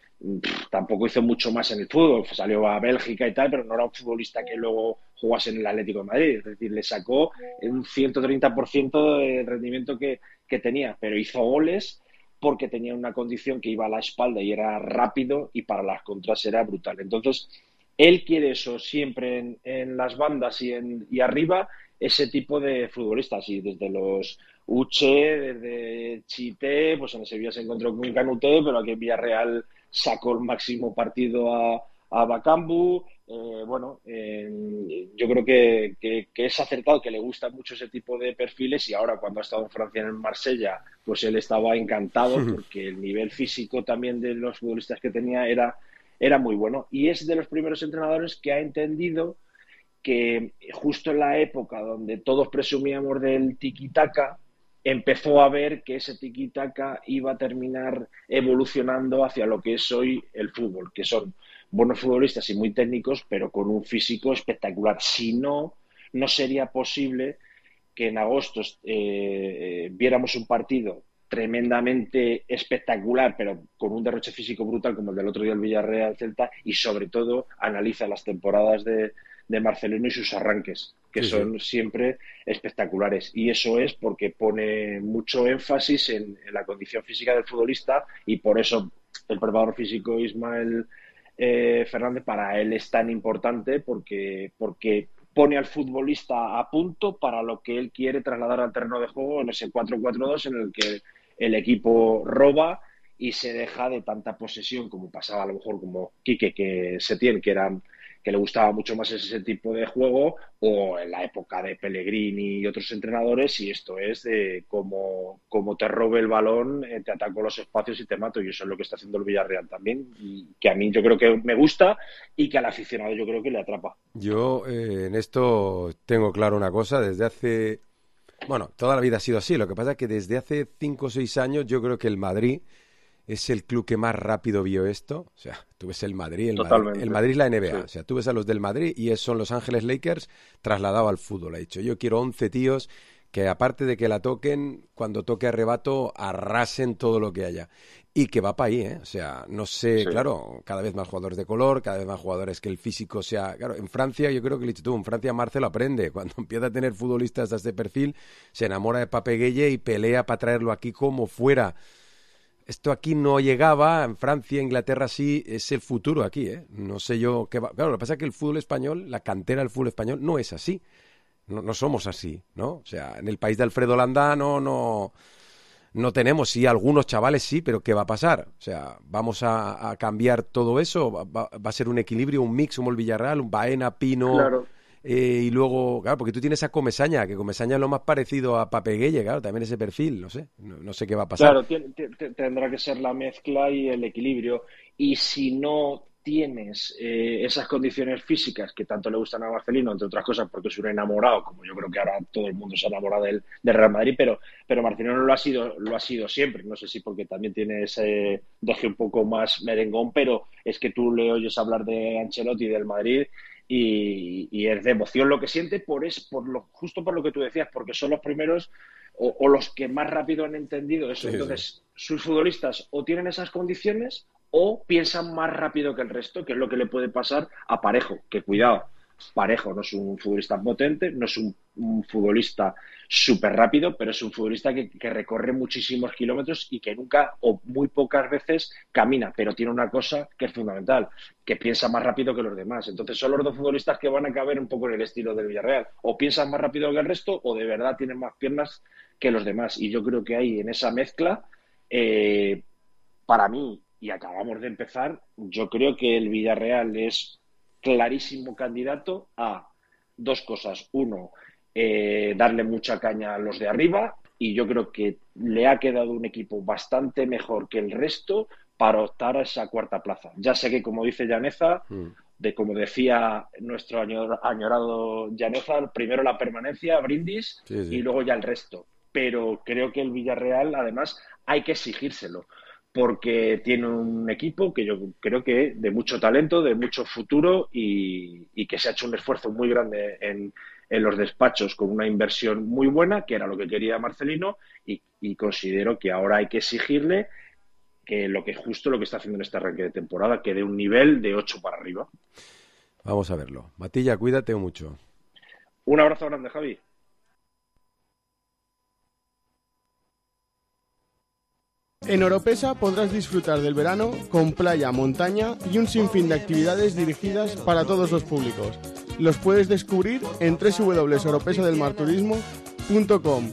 tampoco hizo mucho más en el fútbol. Salió a Bélgica y tal, pero no era un futbolista que luego jugase en el Atlético de Madrid. Es decir, le sacó un 130% del rendimiento que tenía, pero hizo goles porque tenía una condición que iba a la espalda y era rápido, y para las contras era brutal. Entonces, él quiere eso siempre en las bandas y arriba, ese tipo de futbolistas. Y desde los Uche, desde Chité, pues en Sevilla se encontró con Canuté, pero aquí en Villarreal sacó el máximo partido a Bakambu. Yo creo que es acertado, que le gusta mucho ese tipo de perfiles, y ahora cuando ha estado en Francia, en Marsella, pues él estaba encantado porque el nivel físico también de los futbolistas que tenía era muy bueno, y es de los primeros entrenadores que ha entendido que justo en la época donde todos presumíamos del tiki-taka, empezó a ver que ese tiki-taka iba a terminar evolucionando hacia lo que es hoy el fútbol, que son buenos futbolistas y muy técnicos, pero con un físico espectacular. Si no, no sería posible que en agosto viéramos un partido tremendamente espectacular, pero con un derroche físico brutal, como el del otro día el Villarreal-Celta, y sobre todo analiza las temporadas de Marcelino y sus arranques, que son siempre espectaculares. Y eso es porque pone mucho énfasis en la condición física del futbolista, y por eso el preparador físico Ismael Fernández para él es tan importante, porque pone al futbolista a punto para lo que él quiere trasladar al terreno de juego en ese 4-4-2 en el que el equipo roba y se deja de tanta posesión, como pasaba a lo mejor como Quique, que Setién, que le gustaba mucho más ese tipo de juego, o en la época de Pellegrini y otros entrenadores, y esto es de como te robe el balón, te ataco los espacios y te mato, y eso es lo que está haciendo el Villarreal también, y que a mí yo creo que me gusta y que al aficionado yo creo que le atrapa. Yo en esto tengo claro una cosa, desde hace... Bueno, toda la vida ha sido así, lo que pasa es que desde hace 5 o 6 años yo creo que el Madrid es el club que más rápido vio esto. O sea, tú ves el Madrid, el Madrid es la NBA. Sí. O sea, tú ves a los del Madrid y son Los Ángeles Lakers trasladado al fútbol. Ha dicho, yo quiero 11 tíos que aparte de que la toquen, cuando toque a rebato, arrasen todo lo que haya. Y que va para ahí, ¿eh? O sea, no sé, claro, cada vez más jugadores de color, cada vez más jugadores que el físico sea... Claro, en Francia, yo creo que en Francia Marcelo aprende. Cuando empieza a tener futbolistas de este perfil, se enamora de Pape Gueye y pelea para traerlo aquí como fuera. Esto aquí no llegaba, en Francia, Inglaterra sí, es el futuro aquí, ¿eh? No sé yo qué va... Claro, lo que pasa es que el fútbol español, la cantera del fútbol español no es así. No somos así, ¿no? O sea, en el país de Alfredo Landa no tenemos, sí, algunos chavales sí, pero ¿qué va a pasar? O sea, ¿vamos a cambiar todo eso? ¿Va a ser un equilibrio, un mix como el Villarreal, un Baena, Pino? Claro. Y luego, claro, porque tú tienes a Comesaña, que Comesaña es lo más parecido a Pape Gueye, claro, también ese perfil, no sé qué va a pasar. Claro, tendrá que ser la mezcla y el equilibrio. Y si no tienes esas condiciones físicas que tanto le gustan a Marcelino, entre otras cosas porque es un enamorado, como yo creo que ahora todo el mundo se enamora del Real Madrid, pero Marcelino lo ha sido siempre. No sé si porque también tiene ese deje un poco más merengón, pero es que tú le oyes hablar de Ancelotti y del Madrid y es de emoción lo que siente, justo por lo que tú decías, porque son los primeros o los que más rápido han entendido eso. Sí, entonces, sus futbolistas o tienen esas condiciones o piensan más rápido que el resto, que es lo que le puede pasar a Parejo, que cuidado, Parejo no es un futbolista potente, no es un futbolista súper rápido, pero es un futbolista que recorre muchísimos kilómetros y que nunca o muy pocas veces camina, pero tiene una cosa que es fundamental, que piensa más rápido que los demás. Entonces son los dos futbolistas que van a caber un poco en el estilo del Villarreal, o piensan más rápido que el resto o de verdad tienen más piernas que los demás, y yo creo que ahí en esa mezcla, para mí, y acabamos de empezar, yo creo que el Villarreal es clarísimo candidato a dos cosas. Uno, darle mucha caña a los de arriba, y yo creo que le ha quedado un equipo bastante mejor que el resto para optar a esa cuarta plaza. Ya sé que, como dice Llaneza, como decía nuestro añorado Llaneza, primero la permanencia, Brindis, y luego ya el resto. Pero creo que el Villarreal, además, hay que exigírselo, porque tiene un equipo que yo creo que de mucho talento, de mucho futuro, y que se ha hecho un esfuerzo muy grande en los despachos con una inversión muy buena, que era lo que quería Marcelino, y considero que ahora hay que exigirle que lo que está haciendo en este arranque de temporada, que dé un nivel de 8 para arriba. Vamos a verlo. Matilla, cuídate mucho. Un abrazo grande, Javi. En Oropesa podrás disfrutar del verano con playa, montaña y un sinfín de actividades dirigidas para todos los públicos. Los puedes descubrir en www.oropesadelmarturismo.com,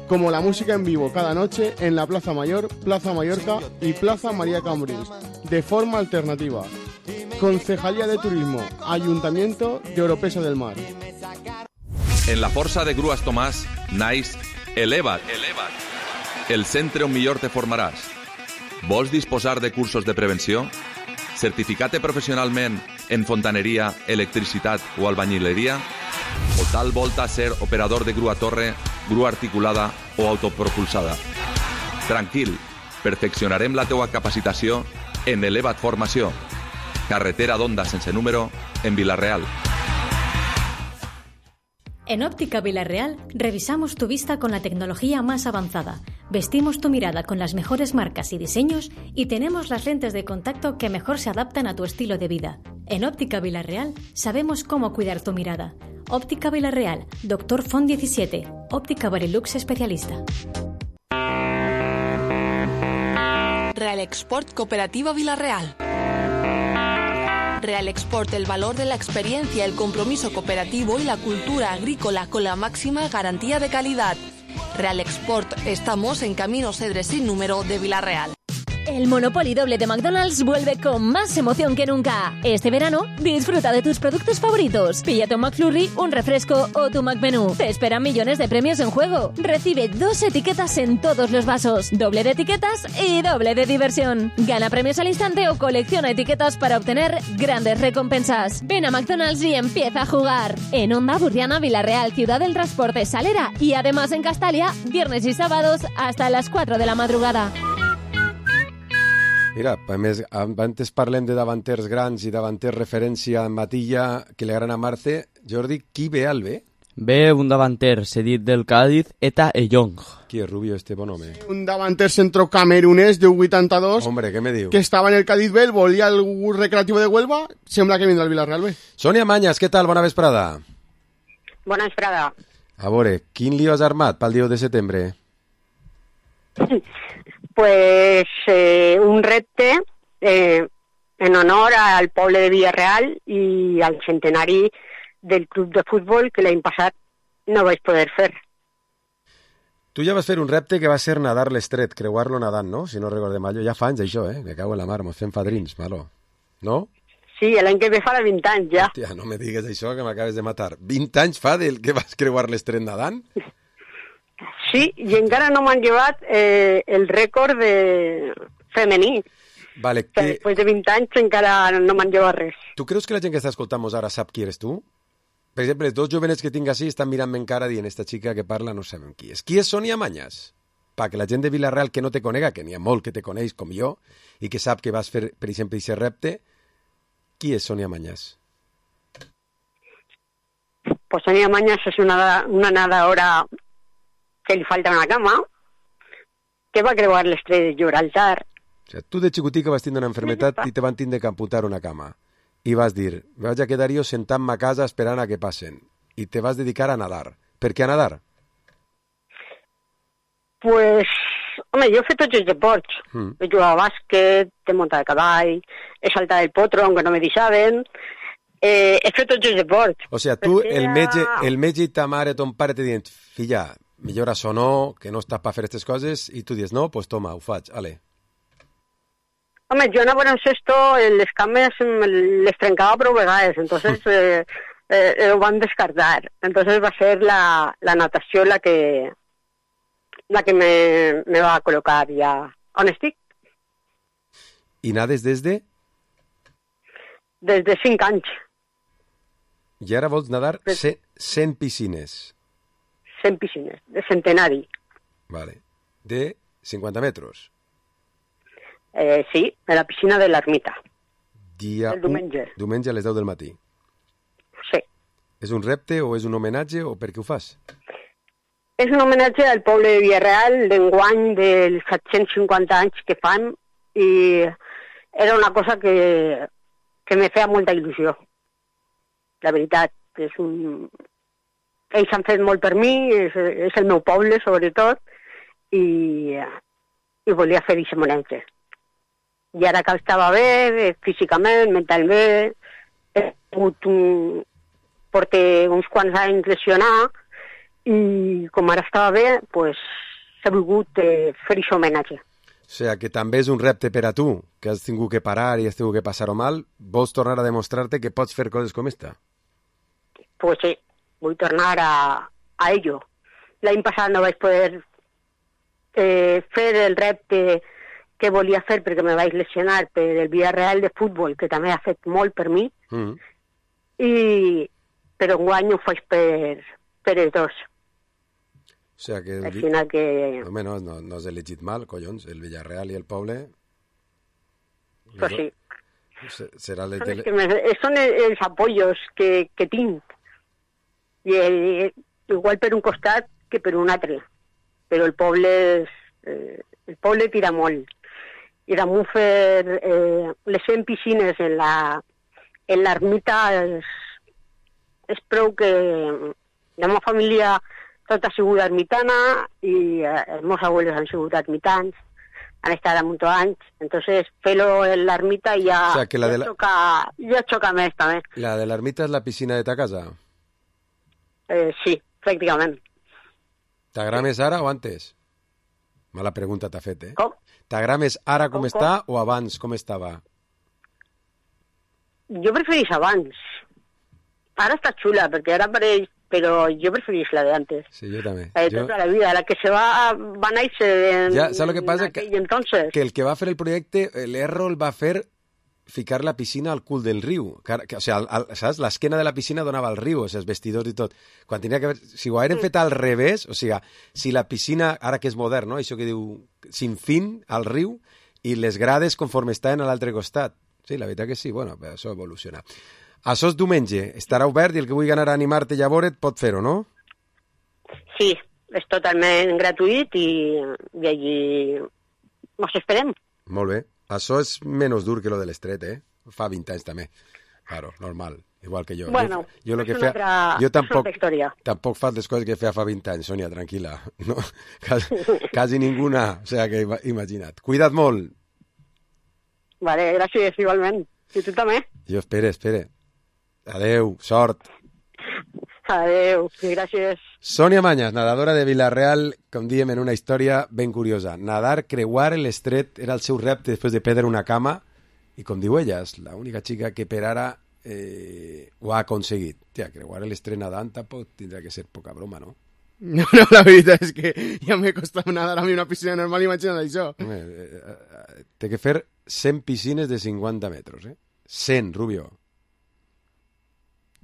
como la música en vivo cada noche en la Plaza Mayor, Plaza Mallorca y Plaza María Cambrils, de forma alternativa. Concejalía de Turismo, Ayuntamiento de Oropesa del Mar. En la força de Grues Tomàs naix Eleva't. El centre on millor te formaràs. Vols disposar de cursos de prevenció? Certificat professionalment en fontaneria, electricitat o albañileria? O tal volta ser operador de grua torre, grua articulada o autopropulsada? Tranquil, perfeccionarem la teua capacitació en Eleva't Formació. Carretera d'Onda sense número, en Vila-real. En Óptica Vila-real revisamos tu vista con la tecnología más avanzada. Vestimos tu mirada con las mejores marcas y diseños y tenemos las lentes de contacto que mejor se adaptan a tu estilo de vida. En Óptica Vila-real sabemos cómo cuidar tu mirada. Óptica Vila-real, Dr. Font 17, Óptica Varilux especialista. Real Export Cooperativa Vila-real. Real Export, el valor de la experiencia, el compromiso cooperativo y la cultura agrícola con la máxima garantía de calidad. Real Export, estamos en Camino Cedre sin número de Vila-real. El Monopoly doble de McDonald's vuelve con más emoción que nunca. Este verano, disfruta de tus productos favoritos. Píllate un McFlurry, un refresco o tu McMenú. Te esperan millones de premios en juego. Recibe 2 etiquetas en todos los vasos. Doble de etiquetas y doble de diversión. Gana premios al instante o colecciona etiquetas para obtener grandes recompensas. Ven a McDonald's y empieza a jugar. En Onda Burriana, Vila-real, Ciudad del Transporte, Salera y además en Castalia, viernes y sábados hasta las 4 de la madrugada. Mira, a més, antes parlem de davanters grans i davanters referència en Matilla que li agraden a Marce. Jordi, qui ve al B? Ve un davanter cedit del Cádiz, Eta Eyong. Qui és Rubio, este bon home? Un davanter centro camerunès de 82. Hombre, què me diu? Que estava en el Cádiz B, volia el Recreativo de Huelva, sembla que vindrà al Villarreal B. Sònia Mañas, què tal? Bona vesprada. Bona vesprada. A veure, quin lío has armat pel 10 de setembre? Pues un repte en honor al poble de Villarreal i al centenari del club de futbol que l'any passat no vaig poder fer. Tu ja vas fer un repte que va ser nadar l'estret, creuar-lo nadant, no? Si no recordem mal. Ja fa anys, això, Me cago en la mar, mos fem fadrins, malo. No? Sí, l'any que ve farà 20 anys, ja. Hòstia, no me digues això, que m'acabes de matar. 20 anys fa del que vas creuar l'estret nadant? Sí, i encara no m'han llevat el rècord femení. Vale, que... Després de 20 anys encara no m'han llevat res. Tu creus que la gent que està escoltant-nos ara sap qui eres tu? Per exemple, els dos jovenets que tinc així estan mirant-me encara dient esta xica que parla no sabem qui és. Qui és Sònia Mañas? Que la gent de Vila-real que no te conega, que n'hi ha molt que te coneix com jo, i que sap que vas fer, per exemple, aquest repte, qui és Sònia Mañas? Pues Sònia Mañas és una nadadora que li falta una cama, que va creuar l'estret de Gibraltar. O sea, tu de xicotica vas tindre una enfermetat i te van tindre que amputar una cama. I vas dir, me vaig a quedar jo sentant-me a casa esperant a que passen. I te vas dedicar a nadar. Per què a nadar? Pues, home, jo he fet tots els deports. He jugat a bàsquet, he muntat a cavall, he saltat el potro, aunque no me deixaven. He fet tots els deports. O sea, tu, el metge i ta mare, ton pare, te diuen, filla, millor això no, que no estàs per fer aquestes coses, i tu dius, no, pues toma, ho faig, ale. Home, jo en baloncesto les cames les trencava prou vegades, entonces ho van descartar. Entonces va ser la natació la que me va col·locar ja on estic. I nades des de? Des de 5 anys. I ara vols nadar 100 piscines. 100 piscines, de centenari. Vale. De 50 metres. Sí, a la piscina de l'Ermita. El diumenge. Diumenge a les 10 del matí. Sí. És un repte o és un homenatge o per què ho fas? És un homenatge al poble de Villarreal d'enguany dels 750 anys que fan i era una cosa que me feia molta il·lusió. La veritat, ells han fet molt per mi, és el meu poble sobretot i volia fer aquest homenatge. I ara que estava bé, físicament, mentalment, porté uns quants anys lesionar i com ara estava bé, pues, he volgut fer aquest homenatge. O sigui, que també és un repte per a tu, que has tingut que parar i has tingut que passar-ho mal, vols tornar a demostrar-te que pots fer coses com esta? Pues sí, vull tornar a ello. L'any passat no vaig poder fer el repte que volia fer perquè me vaig lesionar per el Villarreal de futbol, que també ha fet molt per mi, però enguany ho faig per els dos. O sigui que... Al final que... Home, no has elegit mal, collons, el Villarreal i el poble... Pues sí. Serà són els apoyos que tinc. I igual per un costat que per un altre. Però el poble tira molt. I damunt fer les 100 piscines en l'ermita és prou que la meva família tot ha sigut ermitana i els meus abuelos han sigut ermitans, han estat damunt anys, entonces fer-lo en l'ermita ja xoca més també. La de l'ermita és la piscina de ta casa? Sí, pràcticament. T'agrada més ara o antes? Mala pregunta t'ha fet, Com? T'agrada més ara com està o abans com estava? Jo preferís abans. Ara està xula, perquè ara pareix, però jo preferís la de antes. Sí, jo també. Tota la vida, la que se va néixer ¿sabes lo que pasa? Que el que va fer el projecte, l'Errol va fer ficar la piscina al cul del riu. O sigui, saps? L'esquena de la piscina donava al riu, els vestidors i tot. Quan tenia que... Si ho hagueren fet al revés, o sigui, si la piscina, ara que és modern, no? Això que diu sin fin al riu, i les grades conforme estaven a l'altre costat. Sí, la veritat que sí, bueno, això evoluciona. Això és diumenge, estarà obert i el que vulgui anar a animar-te i a veure't pot fer-ho, no? Sí, és totalment gratuït i allí ens esperem. Molt bé. Això és menys dur que lo de l'estret, Fa 20 anys també. Claro, normal, igual que jo. Bueno, jo és una altra història. Tampoc fa les coses que feia fa 20 anys, Sònia, tranquil·la. No? Quasi ninguna, o sigui que imagina't. Cuida't molt. Vale, gràcies, igualment. I tu també? Jo espere. Adeu, sort. Adeu, gràcies. Sònia Mañas, nadadora de Villarreal, com diem en una història ben curiosa. Nadar, creuar l'estret era el seu repte després de perdre una cama i, com diu ella, és l'única xica que per ara ho ha aconseguit. Tia, creuar l'estret nadant tampoc tindrà que ser poca broma, no? No, la veritat és que ja m'he costat nadar a mi una piscina normal, imagina't això. Té que fer 100 piscines de 50 metres, 100, Rubio.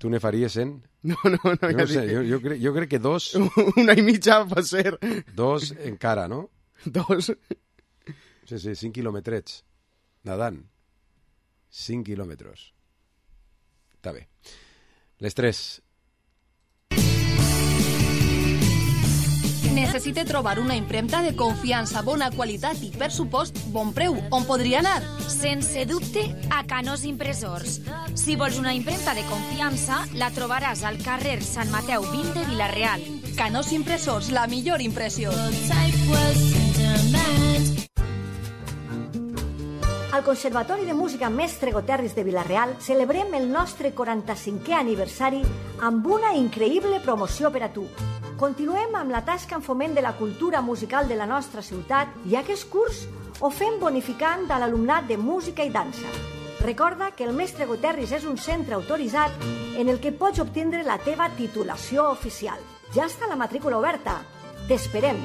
Tu ne faries 100? No, ja sé, jo crec que 2... Una i mitja pot ser. 2 encara, no? 2. Sí, 5 quilòmetrets. Nadant. 5 quilòmetres. Està bé. Les 3. Necessita trobar una impremta de confiança, bona qualitat i, per supost, bon preu. On podria anar? Sense dubte, a Canós Impressors. Si vols una impremta de confiança, la trobaràs al carrer Sant Mateu 20 de Vila-real. Canós Impressors, la millor impressió. Al Conservatori de Música Mestre Goterris de Vila-real celebrem el nostre 45è aniversari amb una increïble promoció per a tu. Continuem amb la tasca en foment de la cultura musical de la nostra ciutat i aquest curs o fem bonificant a l'alumnat de música i dansa. Recorda que el Mestre Guterres és un centre autoritzat en el que pots obtindre la teva titulació oficial. Ja està la matrícula oberta. T'esperem.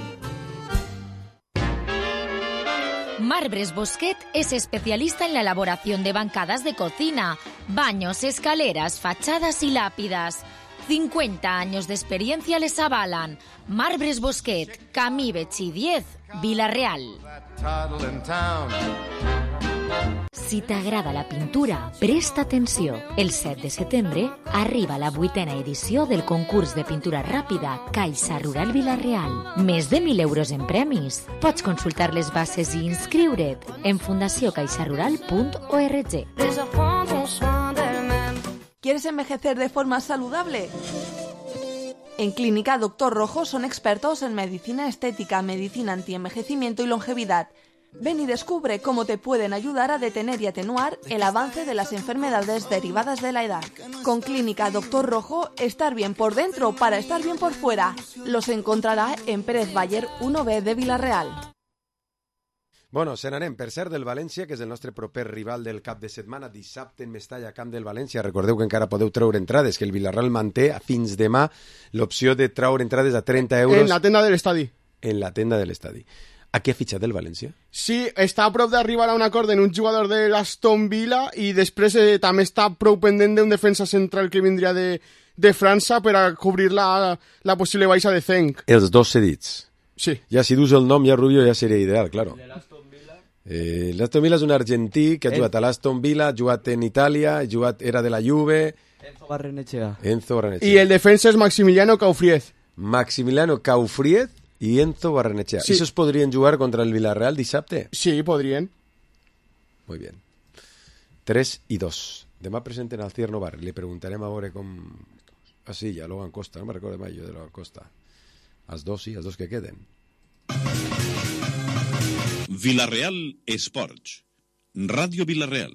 Marbres Bosquet es especialista en la elaboración de bancadas de cocina, baños, escaleras, fachadas y lápidas. 50 años de experiencia les avalan. Marbres Bosquet, Camí Betxí 10, Vila-real. Si t'agrada la pintura, presta atenció. El 7 de setembre arriba la 8a edició del concurs de pintura ràpida Caixa Rural Vila-real. Més de 1.000 euros en premis. Pots consultar les bases i inscriure't en fundaciocaixarural.org. ¿Quieres envejecer de forma saludable? En Clínica Dr. Rojo son expertos en medicina estética, medicina antienvejecimiento y longevidad. Ven y descubre cómo te pueden ayudar a detener y atenuar el avance de las enfermedades derivadas de la edad. Con Clínica Dr. Rojo, estar bien por dentro para estar bien por fuera. Los encontrará en Pérez Bayer 1B de Vila-real. Bueno, se n'anem, per cert, del València, que és el nostre proper rival del cap de setmana, dissabte en Mestalla, camp del València. Recordeu que encara podeu treure entrades, que el Vila-real manté fins demà l'opció de treure entrades a 30 euros... En la tenda de l'estadi. En la tenda de l'estadi. A què ha fitxat el València? Sí, està a prop d'arribar a un acord en un jugador de l'Aston Villa i després també està prou pendent d'un defensa central que vindria de França per a cobrir la possible baixa de Zenc. Els dos cedits. Sí. Ja si dus el nom ja Rubio ja seria ideal, claro. L'Aston Villa és un argentí que ha jugat a l'Aston Villa, ha jugat en Itàlia, era de la Juve... Enzo Barrenechea. I el defensa és Maximiliano Caufriez. Maximiliano Caufriez i Enzo Barrenechea. Sí. ¿Esos podrían jugar contra el Villarreal dissabte? Sí, podrien. Muy bien. 3-2. Demà presenten al Cierno Bar. Le preguntarem a veure com... Ah, sí, ja Logan Costa. No me recordo mai jo de Logan Costa. Els dos sí, els dos que queden. Vila-real Esports. Ràdio Vila-real.